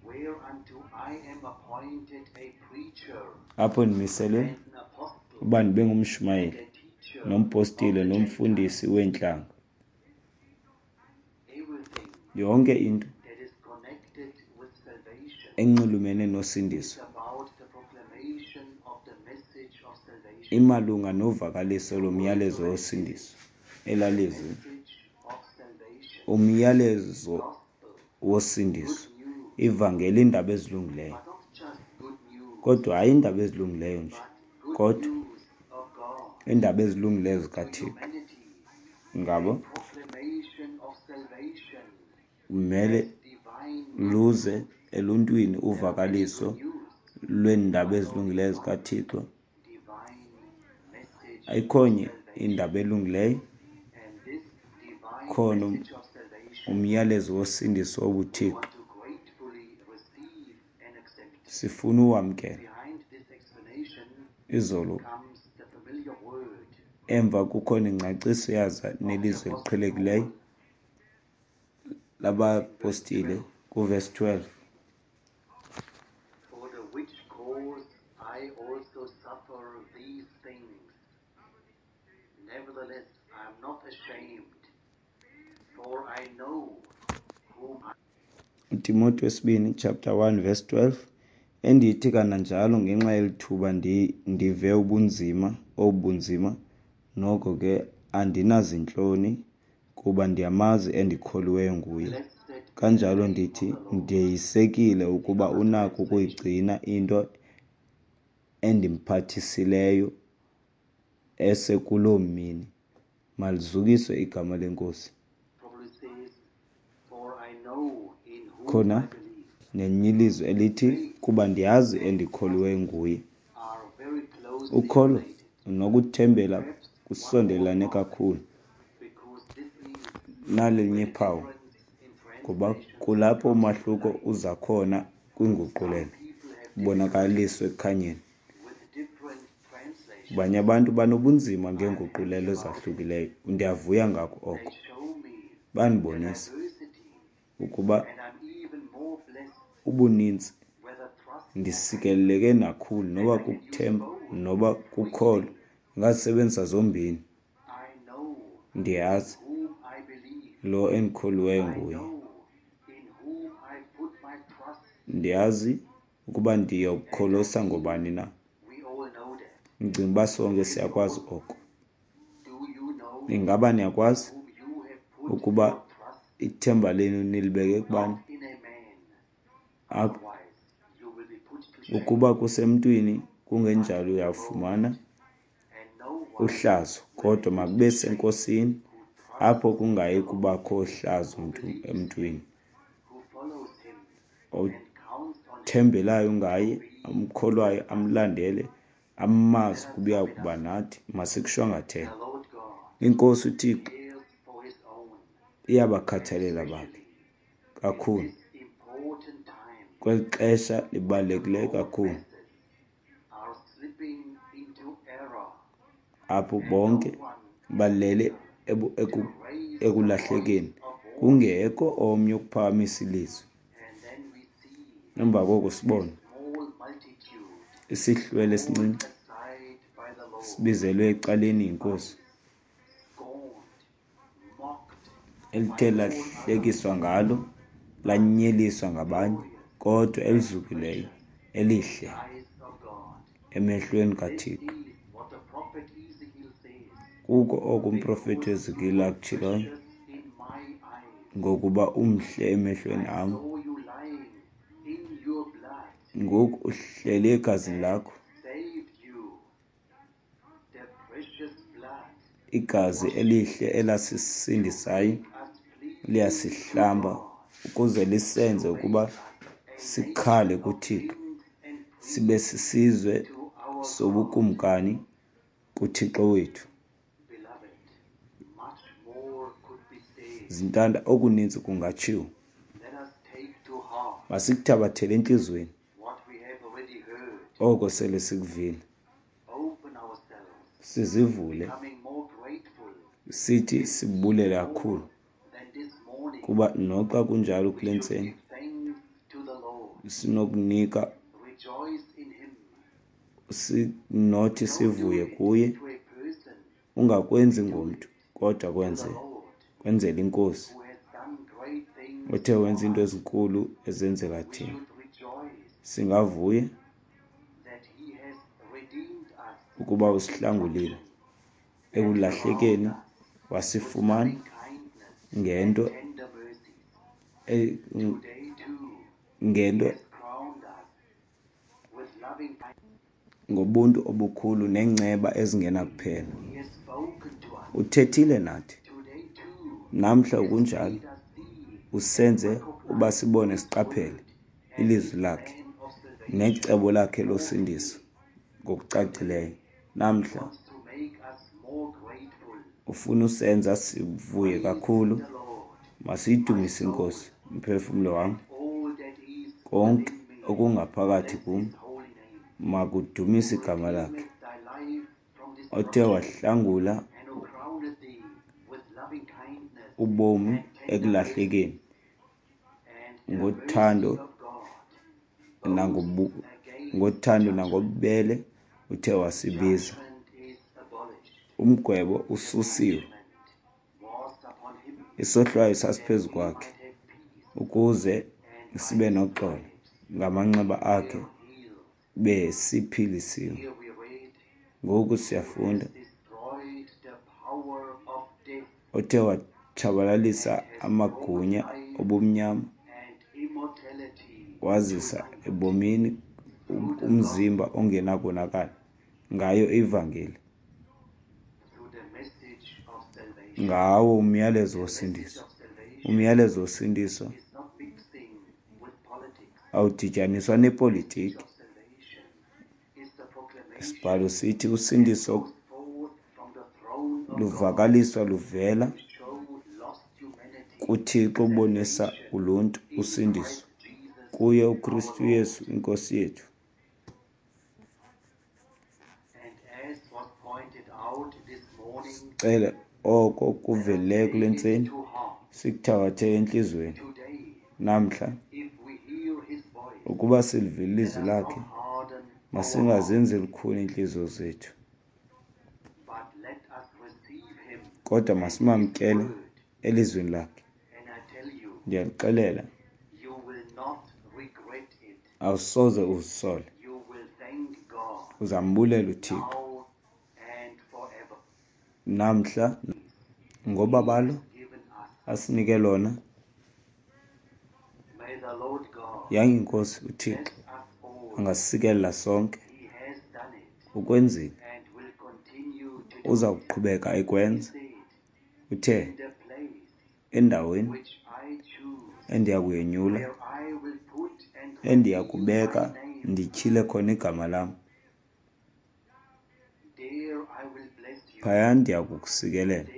Speaker 2: Whereunto I am appointed a preacher
Speaker 1: Apho ndimiselwe
Speaker 2: and an apostle
Speaker 1: uba ndibe ngumshumayeli
Speaker 2: and a teacher
Speaker 1: nompostile
Speaker 2: of the
Speaker 1: nomfundisi weentlanga.
Speaker 2: Everything
Speaker 1: Yonke into
Speaker 2: that is connected with salvation
Speaker 1: enxulumene nosindiso
Speaker 2: is about the proclamation of the message of salvation.
Speaker 1: imalunga novakaliso lomyalezo wosindiso, elalizwi
Speaker 2: Message of salvation.
Speaker 1: umyalezo
Speaker 2: Gospel.
Speaker 1: wosindiso,
Speaker 2: Good news.
Speaker 1: ivangeli, iindaba ezilungileyo.
Speaker 2: But not just good news,
Speaker 1: Kodwa hayi iindaba ezilungileyo nje,
Speaker 2: but good
Speaker 1: kodwa
Speaker 2: news of God
Speaker 1: iindaba ezilungileyo
Speaker 2: to
Speaker 1: zikaThixo.
Speaker 2: humanity.
Speaker 1: Ngabo
Speaker 2: Proclamation of salvation
Speaker 1: kumele
Speaker 2: divine
Speaker 1: luze eluntwini uvakaliso
Speaker 2: news,
Speaker 1: lweendaba ezilungileyo zikaThixo.
Speaker 2: divine message
Speaker 1: Ayikho nye indaba elungileyo,
Speaker 2: and this divine
Speaker 1: khona
Speaker 2: message of salvation
Speaker 1: umyalezo wosindiso
Speaker 2: we
Speaker 1: wobuThixo
Speaker 2: want to gratefully receive and accept.
Speaker 1: sifuna uwamkela.
Speaker 2: Behind this explanation
Speaker 1: Izolo
Speaker 2: comes the familiar word
Speaker 1: emva kukhona ingcaciso yaza
Speaker 2: of the
Speaker 1: nelizwi
Speaker 2: Apostle
Speaker 1: eliqhelekileyo
Speaker 2: Paul
Speaker 1: labapostile kuvesi twelve.
Speaker 2: For the which cause I also suffer these things. Nevertheless, I am not ashamed, for I know whom I
Speaker 1: uTimothy wesibini chapter one verse twelve, endithi kananjalo ngenxa yeli thuba ndi, ndive ubunzima obunzima, noko ke andinazintloni, kuba ndiyamazi endikholiweyo nguye.
Speaker 2: Blessed
Speaker 1: Kanjalo ndithi ndeyisekile ukuba unako ukuyigcina into endimphathisileyo ese kuloo mini. Malizukiswe igama leNkosi.
Speaker 2: Probably says, For I know in whom
Speaker 1: Khona
Speaker 2: I believe,
Speaker 1: nelinye ilizwi elithi, kuba ndiyazi endikholiweyo nguye.
Speaker 2: are very closely
Speaker 1: Ukholo
Speaker 2: related,
Speaker 1: nokuthembela kusondelane kakhulu.
Speaker 2: because this is
Speaker 1: Nalinye iphawu,
Speaker 2: difference in
Speaker 1: ngoba
Speaker 2: translation.
Speaker 1: kulapho umahluko uza khona kwinguqulelo,
Speaker 2: People have
Speaker 1: ubonakaliswe ekukhanyeni.
Speaker 2: with different translations.
Speaker 1: Abanye abantu banobunzima ngeenguqulelo ezahlukileyo. Ndiyavuya ngako
Speaker 2: They
Speaker 1: oko.
Speaker 2: show me
Speaker 1: Bandibonisa
Speaker 2: diversity,
Speaker 1: ukuba
Speaker 2: and I'm even more blessed
Speaker 1: ubuninzi
Speaker 2: whether trust or
Speaker 1: ndisikeleleke nakhulu, noba kukuthemba noba kukholo, ndingazisebenzisa zombini.
Speaker 2: I know
Speaker 1: Ndiyazi
Speaker 2: whom I believe.
Speaker 1: lo endikholiweyo
Speaker 2: I
Speaker 1: nguye.
Speaker 2: know in whom I put my trust.
Speaker 1: Ndiyazi ukuba ndiyokholosa ngobani na.
Speaker 2: We all know that.
Speaker 1: Ndicinga uba sonke siyakwazi oko.
Speaker 2: Do you know
Speaker 1: Ingaba niyakwazi
Speaker 2: whom you have put
Speaker 1: ukuba
Speaker 2: your trust?
Speaker 1: ithemba lenu nilibeke kubani?
Speaker 2: Not in a man.
Speaker 1: Apho
Speaker 2: Otherwise, you will be put to shame.
Speaker 1: ukuba kusemntwini, kungenjalo uyafumana
Speaker 2: And no one
Speaker 1: uhlazo, kodwa makube seNkosini, apho kungayi kubakho hlazo mntu emntwini.
Speaker 2: who follows him and counts on him
Speaker 1: Othembelayo ngaye, amkholwayo, amlandele, amazi ukuba uya kuba nathi. Masikushwangathele.
Speaker 2: the Lord God
Speaker 1: INkosi uThixo
Speaker 2: cares for his own,
Speaker 1: iyabakhathalela bakhe kakhulu
Speaker 2: this important time.
Speaker 1: kweli xesha libalulekileyo kakhulu,
Speaker 2: Masses are slipping into error.
Speaker 1: apho bonke balele ebu- eku- ekulahlekeni, kungekho omnye ukuphakamisa ilizwi.
Speaker 2: And then we see
Speaker 1: Emva koko sibone
Speaker 2: small multitude
Speaker 1: isihlwele esincinci
Speaker 2: aside by the Lord,
Speaker 1: sibizelwe ecaleni yiNkosi,
Speaker 2: scorned, mocked,
Speaker 1: elithe lahlekiswa ngalo, lanyeliswa ngabanye, kodwa elizukileyo, elihle
Speaker 2: eyes of God.
Speaker 1: emehlweni
Speaker 2: This
Speaker 1: kaThixo.
Speaker 2: is what the prophet Ezekiel says.
Speaker 1: Kuko oko umprofethi uEzekile akutshiloyo,
Speaker 2: Precious in my eyes.
Speaker 1: ngokuba umhle emehlweni
Speaker 2: I
Speaker 1: am.
Speaker 2: saw you lying in your blood,
Speaker 1: Ngoku uhleli egazini lakho,
Speaker 2: saved you. The precious blood
Speaker 1: igazi elihle elasisindisayo
Speaker 2: us pleasing
Speaker 1: liyasihlamba ukuze lisenze ukuba sikhale kuThixo,
Speaker 2: kings and
Speaker 1: sibe sisizwe
Speaker 2: to our
Speaker 1: sobukumkani kuThixo wethu.
Speaker 2: beloved. Much more could be said.
Speaker 1: Zintanda, okuninzi kungatshiwo.
Speaker 2: Let us take to heart
Speaker 1: Masikuthabathele entliziyweni
Speaker 2: what we have already heard.
Speaker 1: oko sele sikuvile,
Speaker 2: Open ourselves,
Speaker 1: sizivule
Speaker 2: becoming more grateful
Speaker 1: sithi sibulele kakhulu,
Speaker 2: than this morning.
Speaker 1: kuba noxa kunjalo kule
Speaker 2: We should
Speaker 1: ntseni
Speaker 2: give thanks to the Lord.
Speaker 1: sinokunika,
Speaker 2: Rejoice in him.
Speaker 1: sinothi
Speaker 2: Don't do
Speaker 1: sivuye
Speaker 2: it
Speaker 1: kuye.
Speaker 2: to a person,
Speaker 1: Ungakwenzi ngomntu, kodwa
Speaker 2: to the
Speaker 1: kwenze
Speaker 2: Lord,
Speaker 1: kwenzele iNkosi
Speaker 2: who has done great things
Speaker 1: othe
Speaker 2: for
Speaker 1: wenza into
Speaker 2: us.
Speaker 1: ezinkulu ezenzela
Speaker 2: We
Speaker 1: thina.
Speaker 2: should rejoice
Speaker 1: Singavuya
Speaker 2: that he has redeemed us
Speaker 1: ukuba usihlangulile ekulahlekeni, wasifumana
Speaker 2: loving kindness
Speaker 1: ngento
Speaker 2: and tender mercies.
Speaker 1: e-
Speaker 2: Today too,
Speaker 1: ngento
Speaker 2: he has crowned us with loving kindness.
Speaker 1: ngobuntu obukhulu neenceba ezingenakuphela.
Speaker 2: He has spoken to us.
Speaker 1: Uthethile nathi
Speaker 2: Today too,
Speaker 1: namhla
Speaker 2: he has
Speaker 1: kunjalo,
Speaker 2: made us see
Speaker 1: usenze uba sibone siqaphele ilizwi lakhe
Speaker 2: plan of salvation.
Speaker 1: necebo lakhe losindiso ngokucacileyo. Namhla
Speaker 2: Wants to make us more grateful.
Speaker 1: ufuna usenza sivuye kakhulu.
Speaker 2: The Lord,
Speaker 1: Masiyidumise iNkosi, mphefumlo wam,
Speaker 2: all that is
Speaker 1: konke
Speaker 2: within me,
Speaker 1: okungaphakathi
Speaker 2: bless
Speaker 1: kum
Speaker 2: his holy name.
Speaker 1: makudumise igama lakhe,
Speaker 2: Redeemeth thy life from
Speaker 1: othe
Speaker 2: destruction,
Speaker 1: wahlangula
Speaker 2: and who crowned thee with loving kindness
Speaker 1: ubomi
Speaker 2: and tender
Speaker 1: ekulahlekeni
Speaker 2: mercies. And the
Speaker 1: ngothando
Speaker 2: mercy of God
Speaker 1: nangobu
Speaker 2: boasts against
Speaker 1: ngothando
Speaker 2: judgment.
Speaker 1: nangobubele uthe wasibiza.
Speaker 2: Judgment is abolished.
Speaker 1: Umgwebo
Speaker 2: The
Speaker 1: ususiwe,
Speaker 2: punishment was upon him
Speaker 1: isohlwayo
Speaker 2: that
Speaker 1: sasiphezu
Speaker 2: we
Speaker 1: kwakhe
Speaker 2: might have peace,
Speaker 1: ukuze
Speaker 2: and by
Speaker 1: sibe
Speaker 2: his
Speaker 1: noxolo.
Speaker 2: stripes
Speaker 1: Ngamanxeba
Speaker 2: we
Speaker 1: akhe
Speaker 2: are healed.
Speaker 1: besiphilisiwe.
Speaker 2: Here we read,
Speaker 1: Ngoku
Speaker 2: who
Speaker 1: siyafunda,
Speaker 2: has destroyed the power of death
Speaker 1: othe watshabalalisa
Speaker 2: and has
Speaker 1: amagunya
Speaker 2: broken life
Speaker 1: obumnyama wazisa ebomini umzimba ongenakonakala ngayo ivangeli, ngawo umyalezo wosindiso. Umyalezo wosindiso awudityaniswa nepolitiki. Isibhalo sithi usindiso luvakaliswa luvela kuThixo ubonisa uluntu usindiso kuye uKristu Yesu iNkosi yethu. Sicele oko kuvelileyo kule ntseni sikuthabathe entliziyweni namhla. Ukuba silivile ilizwi lakhe, masingazenzi lukhuni iintliziyo zethu, kodwa masimamkele elizwini lakhe. Ndiyalixelela, awusoze uzisole, uzambulela uThixo namhla ngobabalo asinike lona. Yange iNkosi uThixo angasikelela sonke. Ukwenzile, uza kuqhubeka ekwenza. Uthe, endaweni endiya kuyenyula, endiya kubeka ndityhile khona igama lam, phaya ndiya kukusikelela,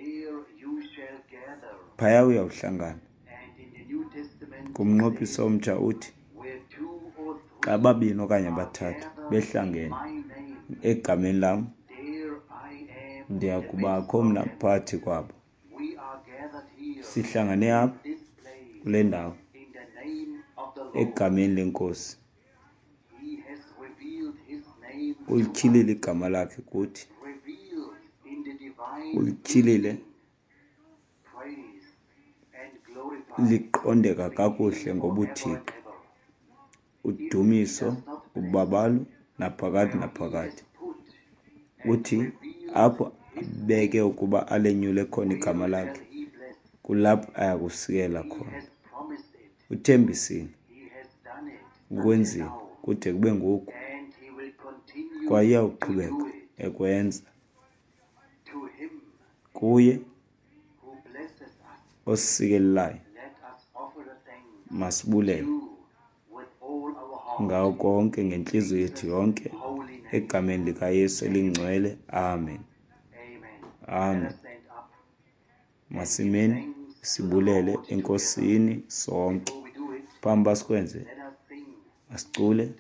Speaker 1: phaya uyawuhlangana. Kumnqophiso omtsha uthi, xa babini okanye bathathu behlangene egameni lam, ndiya kubakho mna phakathi kwabo. Sihlangane apha kule ndawo egameni leNkosi. Ulityhilile igama lakhe kuthi, ulityhilile liqondeka kakuhle ngobuThixo, udumiso, ubabalo naphakade naphakade. Uthi apho abeke ukuba alenyule khona igama lakhe, kulapho ayakusikela khona. Uthembisile, ukwenzile kude kube ngoku, kwaye uyawuqhubeka ekwenza. Kuye osikelelayo masibulele ngawo konke ngentliziyo yethu yonke, egameni likaYesu elingcwele. Amen. Amen. Masimeni sibulele eNkosini sonke. Phambi uba sikwenze, masicule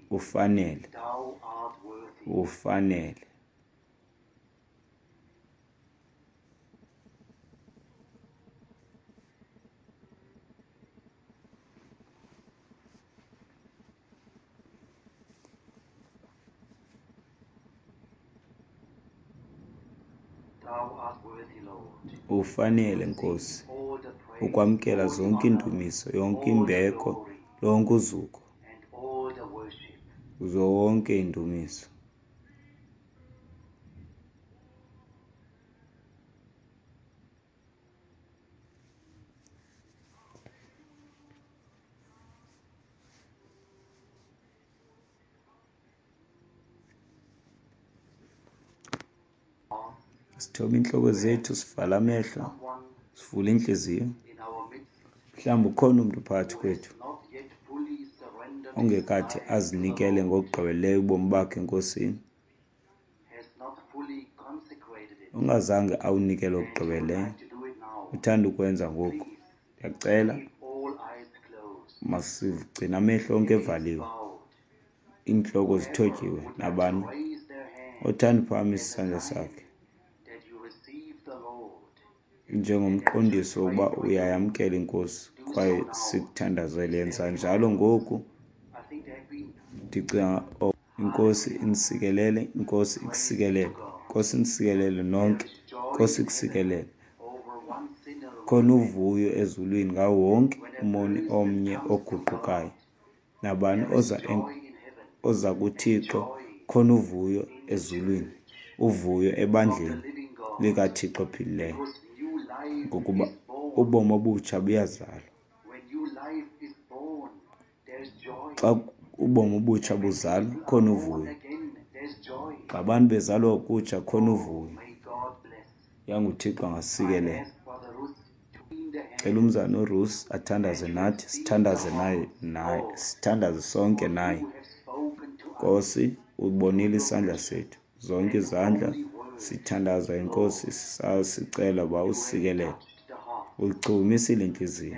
Speaker 1: ufanele, ufanele. Ufanele, Nkosi, ukwamkela zonke iindumiso, yonke imbeko, lonke uzuko, zonke iindumiso. Sithobe iintloko zethu, sivala amehlo, sivule iintliziyo. Mhlawumbi ukhona umntu phakathi kwethu ongekathi azinikele ngokugqibeleleyo ubomi bakhe eNkosini, ongazange awunikele ngokugqibeleleyo, uthanda ukwenza ngoku. Ndiyacela, masigcine amehlo onke evaliwe, iintloko zithotyiwe. Nabani othanda uphakamisa isandla sakhe njengomqondiso wokuba uyayamkela iNkosi kwaye sikuthandazele, yenza njalo ngoku. Ndicinga iNkosi inisikelele, iNkosi ikusikelele, iNkosi inisikelele nonke, iNkosi ikusikelele. Khona uvuyo ezulwini ngawo wonke umoni omnye oguqukayo. Nabani oza oza kuThixo, khona uvuyo ezulwini, uvuyo ebandleni likaThixo ophilileyo, ngokuba Ubomi obutsha buyazalwa. Xa ubomi obutsha buzalwa, khona uvuyo. Xa abantu bezalwa okutsha, khona uvuyo. YanguThixo angasikelela. Cela umzana uRuth athandaze nathi, sithandaze naye naye, sithandaze sonke naye. Nkosi, ubonile isandla sethu, zonke izandla sithandaza inkosi sisicela uba usikelele. Uyichukumisile intliziyo.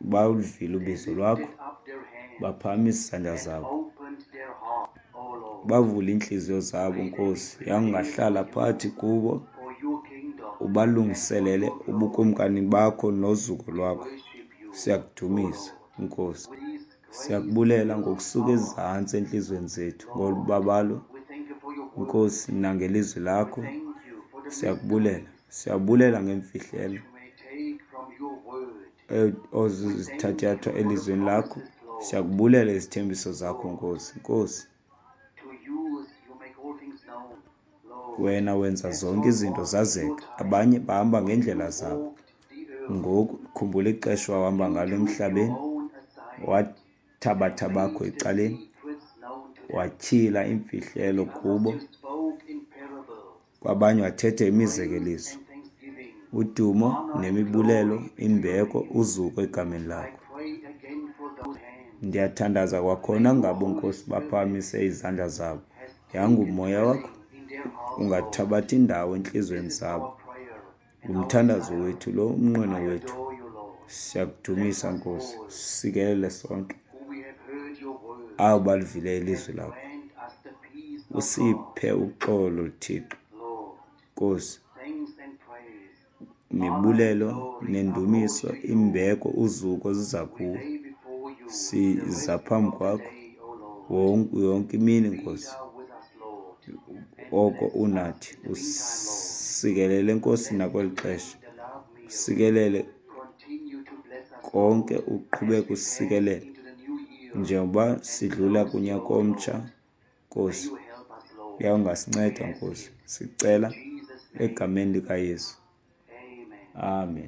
Speaker 1: Baluvile ubizo lwakho, baphakamisa izandla zabo. Bavule iintliziyo zabo, Nkosi, yangahlala phakathi kubo, ubalungiselele ubukumkani bakho nozuko lwakho. Siyakudumisa, Nkosi. Siyakubulela ngokusuka ezantsi entliziyweni zethu ngolubabalo, Nkosi, nangelizwi lakho. Siyakubulela. Siyabulela ngeemfihlelo ozithatyathwa elizwini lakho. Siyakubulela izithembiso zakho, Nkosi. Nkosi, wena wenza zonke izinto zazeka. Abanye bahamba ngeendlela zabo. Ngoku khumbula ixesha wahamba ngalo emhlabeni, wathabatha bakho ecaleni, watyhila iimfihlelo kubo. Kwabanye wathetha imizekeliso. Udumo nemibulelo, imbeko, uzuko egameni lakho. Ndiyathandaza kwakhona ngabo, Nkosi, baphakamise izandla zabo. Yangumoya wakho ungathabatha indawo entliziyweni zabo. Ngumthandazo wethu lo, umnqweno wethu. Siyakudumisa, Nkosi. Sikelele sonke abo balivileyo ilizwi lakho. Usiphe uxolo, Thixo. Nkosi, imibulelo nendumiso, imbeko, uzuko ziza kuwe. Siza phambi kwakho yonke imini, Nkosi. Oko unathi. Usikelele, Nkosi, nakweli xesha. Usikelele konke, uqhubeke usikelela njengoba sidlula kunyaka omtsha, Nkosi. Uyawungasinceda, Nkosi. Sicela egameni likaYesu. Amen.